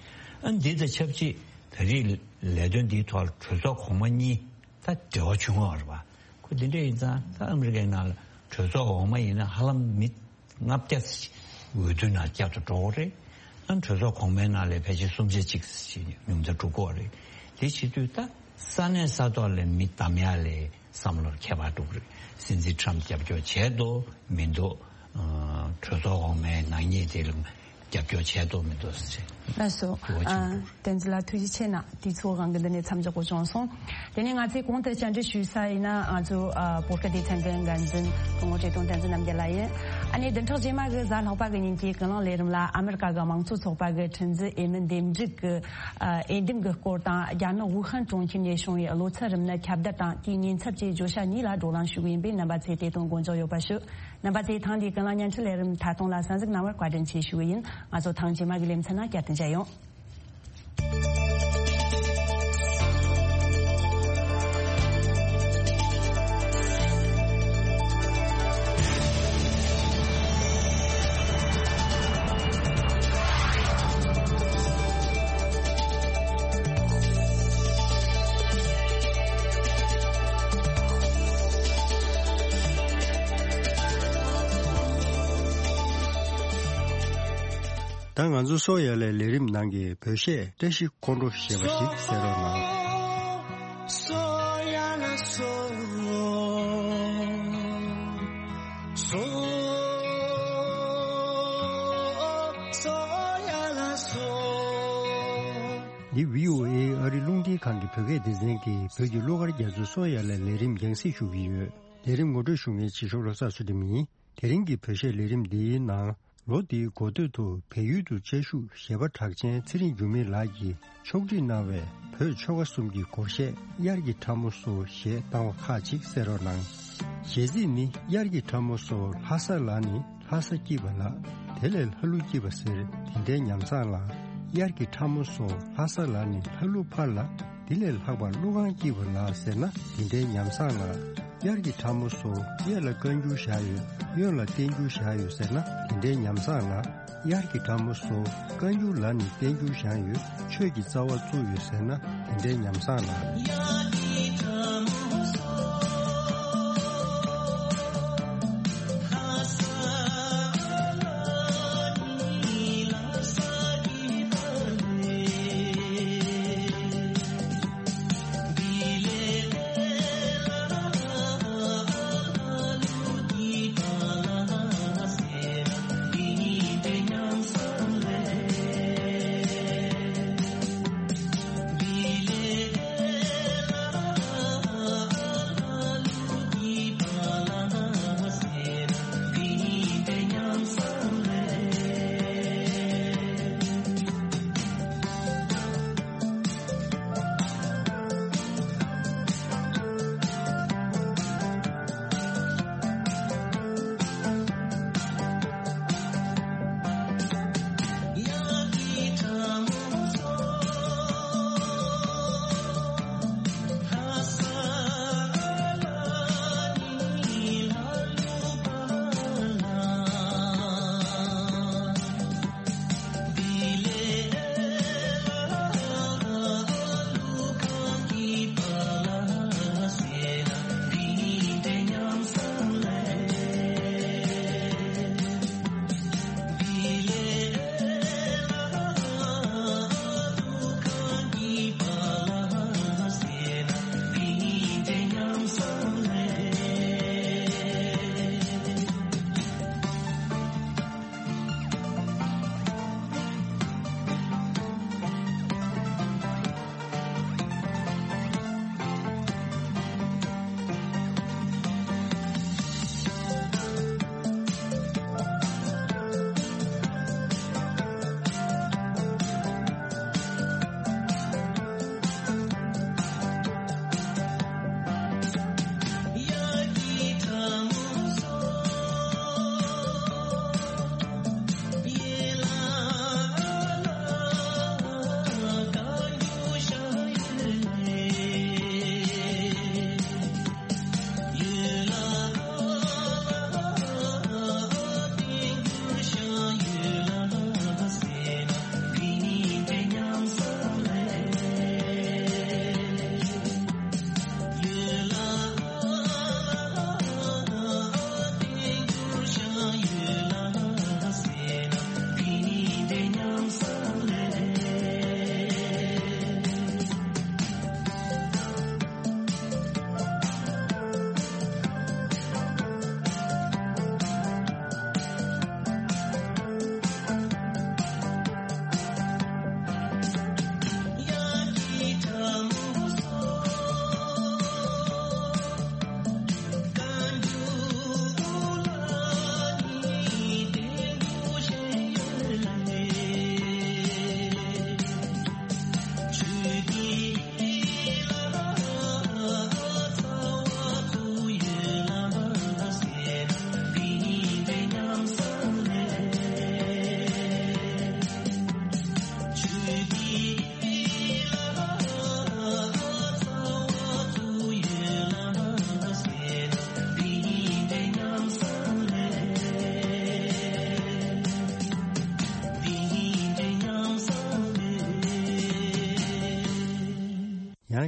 ཨ། འདི་དང་ཆབས་ཅིག་ད་རེས་ལས་དོན་འདིའི་ཐོག་ལ་གྲོས་ཚོགས་གོང་མ་གཉིས་ད་འབྲེལ་བ་བྱུང་བ་རེད་པ། འདི་འདྲ་ཡིན་ཙང་ད་ཨ་མི་རི་ཀའི་ནང་ལ་གྲོས་ཚོགས་འོག་མ་ཡིན་ན་ཧ་ལམ་མི་ལྔ་བརྒྱ་འོས་བསྡུ་ནང་བསྐྱར་དུ་འགྲོ་གི་རེད། ཨ་གྲོས་ཚོགས་གོང་མའི་ནང་ལ་ཕལ་ཆེར་སུམ་ཆ་གཅིག་ཉུང་མཐར་འགྲོ་གི་རེད། དེ་བྱེད་དུས་ད་ས་གནས་ས་ཐོག་ལ་མི་བདམས་ཡ་ལ་བསམ་བློར་ཁྱད་པར་འགྲོ་གི་རེད། སྲིད་འཛིན་ཊམ་རྒྱབ་སྐྱོར་བྱས་འདུག་མི་འདུག་ཨ་གྲོས་ཚོགས་འོག་མའི་ནག་ཉེས་དེ་ལ་རྒྱབ་སྐྱོར་བྱས་འདུག་མི་འདུག་ཟེར། ལགས་སོ། དུ་བ་ཆེན་པོ། བསྟན་འཛིན་ལགས་ཐུགས་རྗེ་ཆེ་གནང་། དུས་ཚོད་དབང་གིས་འདི་ནས་མཚམས་འཇོག་དགོས་བྱུང་སོང་། དེ་ནས་ང་ཚོས་གོང་དུ་བཅར་འདྲི་ཞུས་ས་ཡིན་ན། ང་ཚོའི་ཨ་བོད་སྐད་སྡེ་ཚན་གྱི་འགན་འཛིན་སྐུ་ངོ་བཀྲས་མཐོང་བསྟན་འཛིན་རྣམ་རྒྱལ་ལགས་ཡིན། ཨ་ནི་བདུན་ཕྲག་རྗེས་མ་གི་གཟའ་ལྷག་པ་གི་ཉིན་གྱི་ཀུན་གླེང་ལས་རིམ་ལ་ཨ་མི་རི་ཀ་གི་དམངས་གཙོ་ཚོགས་པ་གི་ཁྲིམས་འཛིན་འོས་མི་འདེམས་སྒྲུག་གི་ཨ་འོས་འདེམས་ཀྱི་སྐོར་དང་། རྒྱ་ནག་ཝུ་ཧན་གྲོང་ཁྱེར་ནས་བྱུང་བའི་གློ་ཚད་རིམས་ནད་ཁྱབ་གདལ་དང་དེའི་ཉེན་ཚབས་བཅས་བརྗོད་བྱ་གཉིས་ལ་བགྲོ་གླེང་ཞུ་གི་ཡིན་པས། རྣམ་པ་ཚོས་དེ་དང་མགོ་འཇོག་ཡོད་པ་ཞུ། རྣམ་པ་ཚོས་ཐེངས་འདིའི་ཀུན་གླེང་བརྙན་འཕྲིན་ལས་རིམ་མཐའ་སྟོང་ལ་གསན་གཟིགས་གནང་བར་བཀའ་དྲིན་ཆེ་ཞུ་གི་ཡིན། ང་ཚོ་ཐེངས་རྗེས་མ་གི་ལེ་ཚན་ནང་བསྐྱར་དུ་མཇལ་ཡོང་། ད་ང་ཚོ་སོ་ཡ་ལའི་ལས་རིམ་ནང་གི་བོད་གཞས་བཀྲ་ཤིས་འཁོར་འགྲོ་ཞེས་པ་ཞིག་གསན་རོགས་གནང་། སོ་ཡ་ལ་སོ། སོ། སོ་ཡ་ལ་སོ། འདི་བྷི་ཨོ་ཨེ་ཨ་རིའི་རླུང་འཕྲིན་ཁང་གི་བོད་སྐད་སྡེ་ཚན་གྱི་བོད་ཀྱི་གླུ་གར་རྒྱ་མཚོའི་སོ་ཡ་ལའི་ལས་རིམ་རྒྱང་སྲིང་ཞུ་གི་ཡོད། ལས་རིམ་ངོ་སྤྲོད་ཞུ་མཁན་ཕྱི་ཕྱོགས་བློ་བཟང་ཚུལ་ཁྲིམས་ཡིན། དེ་རིང་གི་བོད་གཞས་ལས་རིམ་འདིའི་ནང་། ལོ་འདིའི་འགོ་སྟོད་དུ་བལ་ཡུལ་དུ་བཅའ་བཞུགས་གཞས་པ་གྲགས་ཅན་ཚེ་རིང་འགྱུར་མེད་ལགས་ཀྱིས་ཕྱོགས་སྒྲིག་གནང་བའི་བོད་ཆོལ་ཁ་གསུམ་གྱི་སྒོར་གཞས་དབྱར་གྱི་ཁྲ་མོ་སོ་ཞེས་བཏང་བ་ཁག་ཅིག་གསན་རོགས་གནང་། གཞས་ཚིག་ནི། དབྱར་གྱི་ཁྲ་མོ་སོ། ལྷ་ས་ལ་ནི་ལྷ་ས་སྐྱིད་པ་ལགས། དེ་ལས་ལྷ་ཀླུ་སྐྱིད་པ་ཟེར་དེ་འདྲའི་ཉམས་བཟང་ལགས། དབྱར་གྱི་ཁྲ་མོ་སོ། ལྷ་ས་ལ་ནི་ལྷ་ཀླུ་ཕར་ལགས། དེ་ལས་ལྷག་པར་ཀླུ་ཁང་སྐྱིད་པ་ལགས་ཟེར་ན་དེ་འདྲའི་ཉམས་བཟང་ལགས། དབྱར་གྱི་ཁྲ་མོ་སོ། གཡས་ལ་བཀའ་འགྱུར་བཞག་ཡོད། གཡོན་ལ་བསྟན་འགྱུར་བཞག་ཡོད་ཟེར་ན་དེ་འདྲའི་ཉམས་བཟང་ལགས། དབྱར་གྱི་ཁྲ་མོ་སོ། བཀའ་འགྱུར་ལ་ནི་བསྟན་འགྱུར་བཞག་ཡོད། ཆོས་ཀྱི་རྩ་བ་བཙུགས་ཡོད་ཟེར་ན་དེ་འདྲའི་ཉམས་བཟང་ལགས།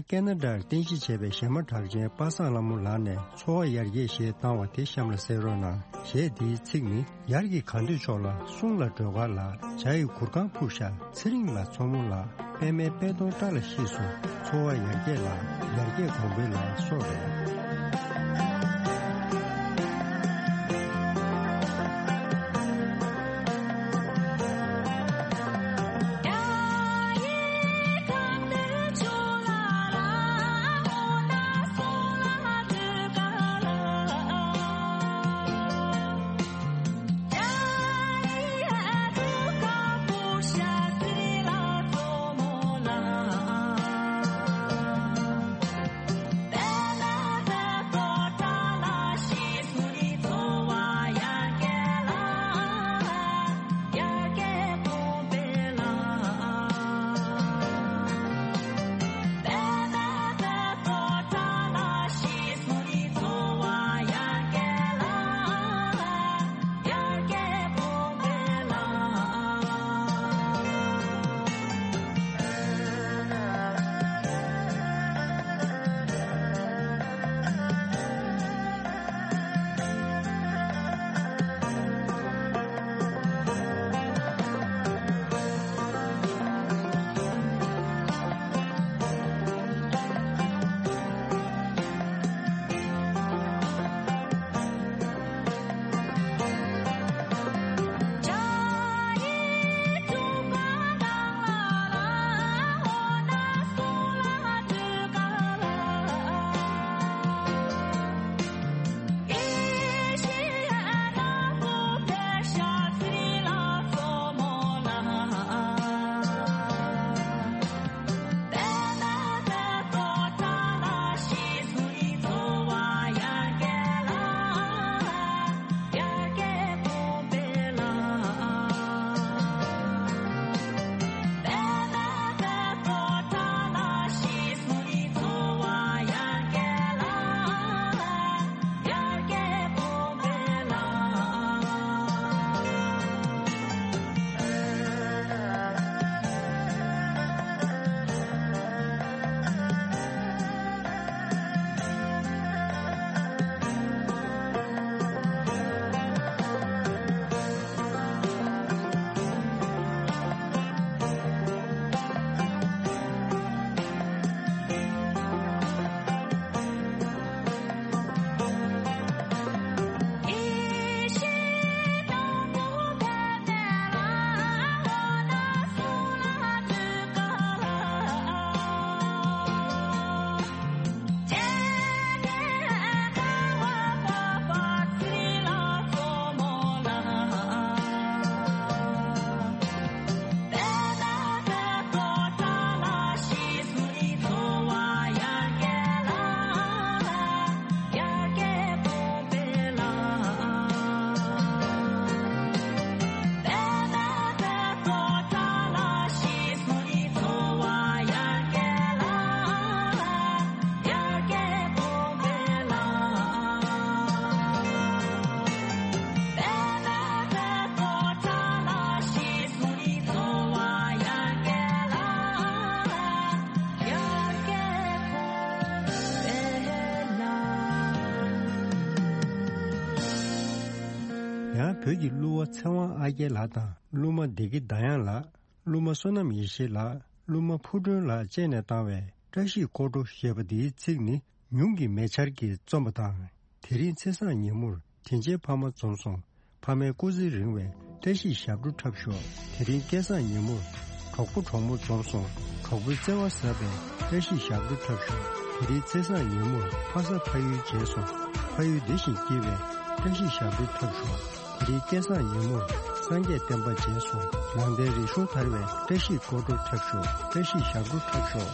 ཀེ་ན་ཌར་རྟེན་གཞི་བྱས་པའི་གཞས་མ་གྲགས་ཅན་པ་སངས་ལྷ་མོ་ལགས་ནས་འཚོ་བ་ཡར་རྒྱས་ཞེས་བཏང་བ་དེ་གཤམ་ལ་གསན་རོགས་གནང་། གཞས་འདིའི་ཚིག་ནི། ཡར་གྱི་གངས་ཐོད་ཕྱོགས་ལ་སྲུང་ལ་སྒྲོལ་དཀར་ལགས། བྱ་ཡི་གུར་ཁང་ཕུབ་ཤག་ཚེ་རིང་ལ་མཚོ་མོ་ལགས། པད་མའི་པད་སྡོང་བཀྲ་ལ་ཤིས་སོ། འཚོ་བ་ཡར་རྒྱས་ལ་ཡར་རྒྱས་གོང་འཕེལ་ལ་སོགས་རེད། ཡང་བོད་ཀྱི་གླུ་བ་ཚེ་དབང་ཨ་རྒྱལ་ལགས་དང་གླུ་མ་བདེ་སྐྱིད་ཟླ་དབྱངས་ལགས། གླུ་མ་བསོད་ནམས་ཡེ་ཤེས་ལགས། གླུ་མ་ཕུར་སྒྲོན་ལགས་བཅས་ནས་བཏང་བའི་བཀྲ་ཤིས་སྐོར་བྲོ་ཞེས་པ་འདིའི་ཚིག་ནི། ཉུང་གི་མེ་ཆར་གྱིས་རྩོམ་པ་དང་། དེ་རིང་ཚེས་བཟང་ཉིན་མོར་དྲིན་ཆེན་ཕ་མ་འཛོམས་སོང་། ཕ་མའི་སྐུ་ཚེ་རིང་བའི་བཀྲ་ཤིས་ཞབས་བྲོ་འཁྲབ་ཤོག་དེ་རིང་སྐལ་བཟང་ཉིན་མོར་གྲོགས་པོ་གྲོགས་མོ་འཛོམས་སོང་། གྲོགས་པོའི་བརྩེ་བ་ཟབ་པའི་བཀྲ་ཤིས་ཞབས་བྲོ་འཁྲབ་ཤོག་དེ་རིང་ཚེས་བཟང་ཉིན་མོར་ཕ་ས་ཕ་ཡུལ་མཇལ་སོང་། ཕ་ཡུལ་བདེ་ཞིང་སྐྱིད་པའི་བཀྲ་ཤིས་ཞབས་བྲོ་འཁྲབ་ཤོག་དེ་རིང་སྐལ་བཟང་ཉིན་མོར་སངས་རྒྱས་བསྟན་པ་རྗེས་སུ། ནང་བསྟན་རིག་གཞུང་དར་བའི་བཀྲ་ཤིས་སྐོར་བྲོ་འཁྲབ་ཤོག་བཀྲ་ཤིས་ཞབས་བྲོ་འཁྲབ་ཤོག་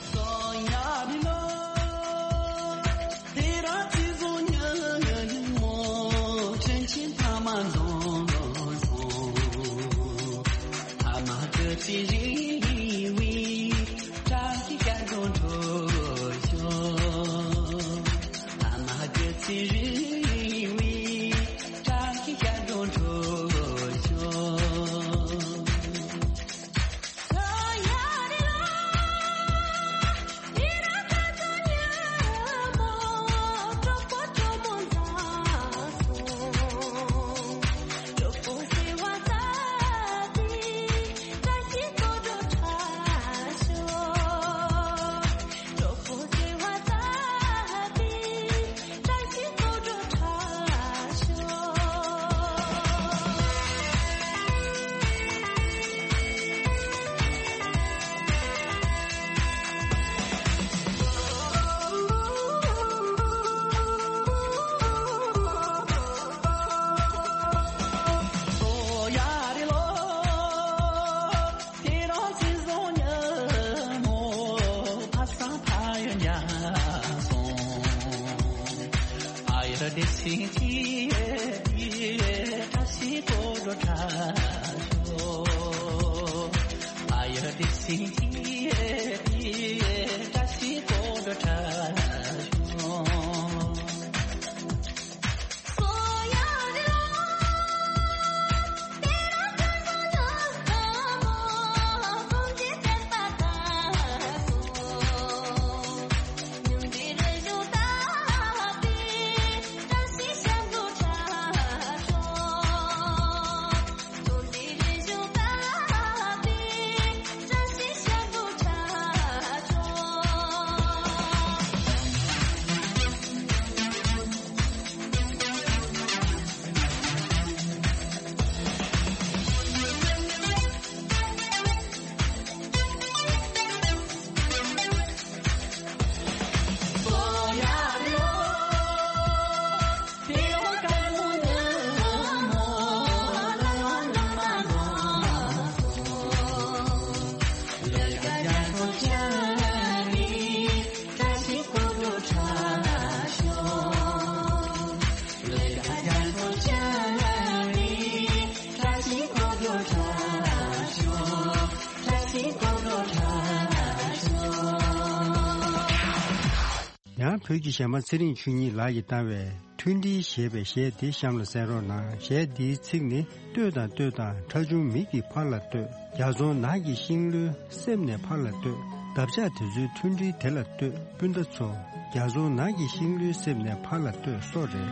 ཡང་བོད་ཀྱི་གཞས་མ་ཚེ་རིང་ཆོས་ཉིད་ལགས་ཀྱིས་བཏང་བའི་མཐུན་སྒྲིལ་ཞེས་པའི་གཞས་འདི་གཤམ་ལ་གསན་རོགས་གནང་། གཞས་འདིའི་ཚིག་ནི། ལྟོས་དང་ལྟོས་དང་ཁྲ་ཆུང་མིག་གིས་ཕར་ལ་ལྟོས། རྒྱ་རྫོང་ནགས་ཀྱི་ཤིང་ལོའི་གསེབ་ནས་ཕར་ལ་ལྟོས། འདབ་ཆགས་དེ་ཚོའི་མཐུན་སྒྲིལ་དེ་ལ་ལྟོས། སྤུན་ཟླ་ཚོ། རྒྱ་རྫོང་ནགས་ཀྱི་ཤིང་ལོའི་གསེབ་ནས་ཕར་ལ་ལྟོས་སོགས་རེད།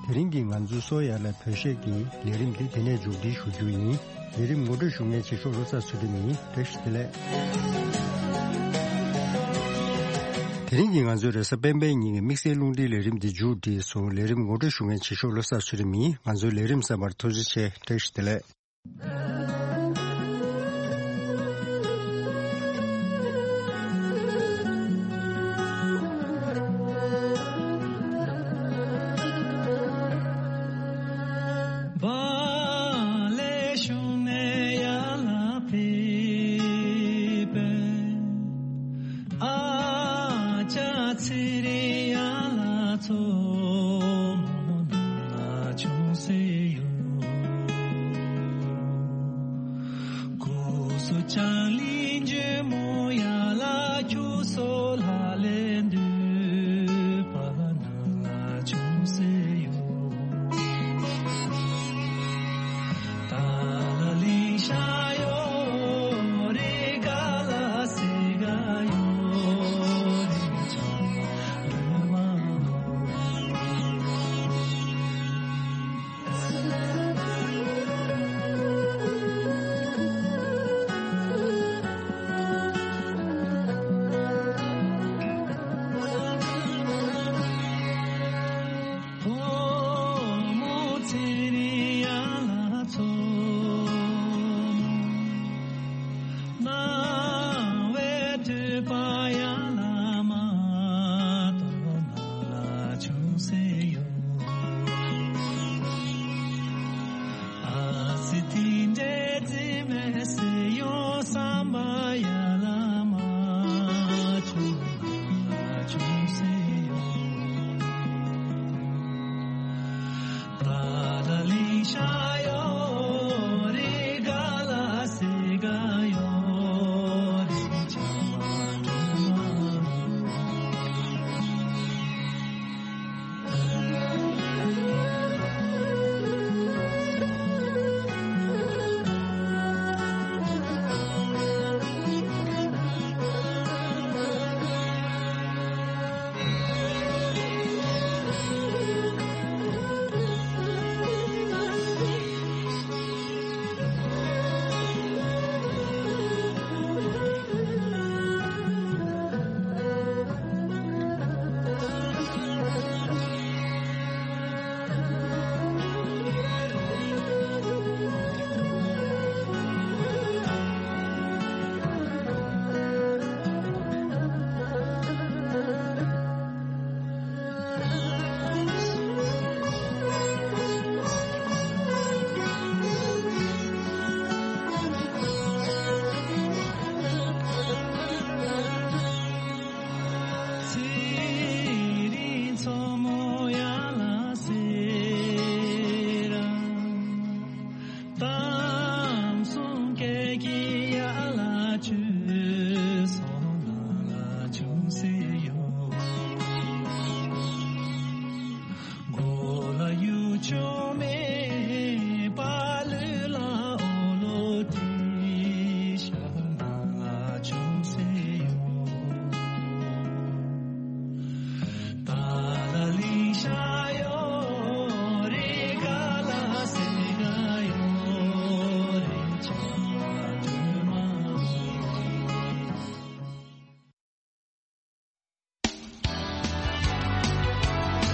དེ་རིང་གི་ང་ཚོའི་སོ་ཡ་ལ་བོད་གཞས་ཀྱི་ལས་རིམ་འདི་དེ་ནས་མཇུག་སྒྲིལ་ཞུ་རྒྱུ་ཡིན། ལས་རིམ་ངོ་སྤྲོད་ཞུ་མཁན་ཆེ་ཤོས་བློ་བཟང་ཚུལ་ཁྲིམས་ཡིན། བཀྲ་ཤིས་བདེ་ལེགས། དེ་རིང་གི་ང་ཚོའི་རེས་གཟའ་སྤེན་པའི་ཉིན་གྱི་དམིགས་བསལ་རླུང་འཕྲིན་ལས་རིམ་འདི་མཇུག་སྒྲིལ་སོང་། ལས་རིམ་ངོ་སྤྲོད་ཞུ་མཁན་ཆེ་ཤོས་བློ་བཟང་ཚུལ་ཁྲིམས་ཡིན། ང་ཚོའི་ལས་རིམ་གསན་པར་ཐུགས་རྗེ་ཆེ། བཀྲ་ཤིས་བདེ་ལེགས།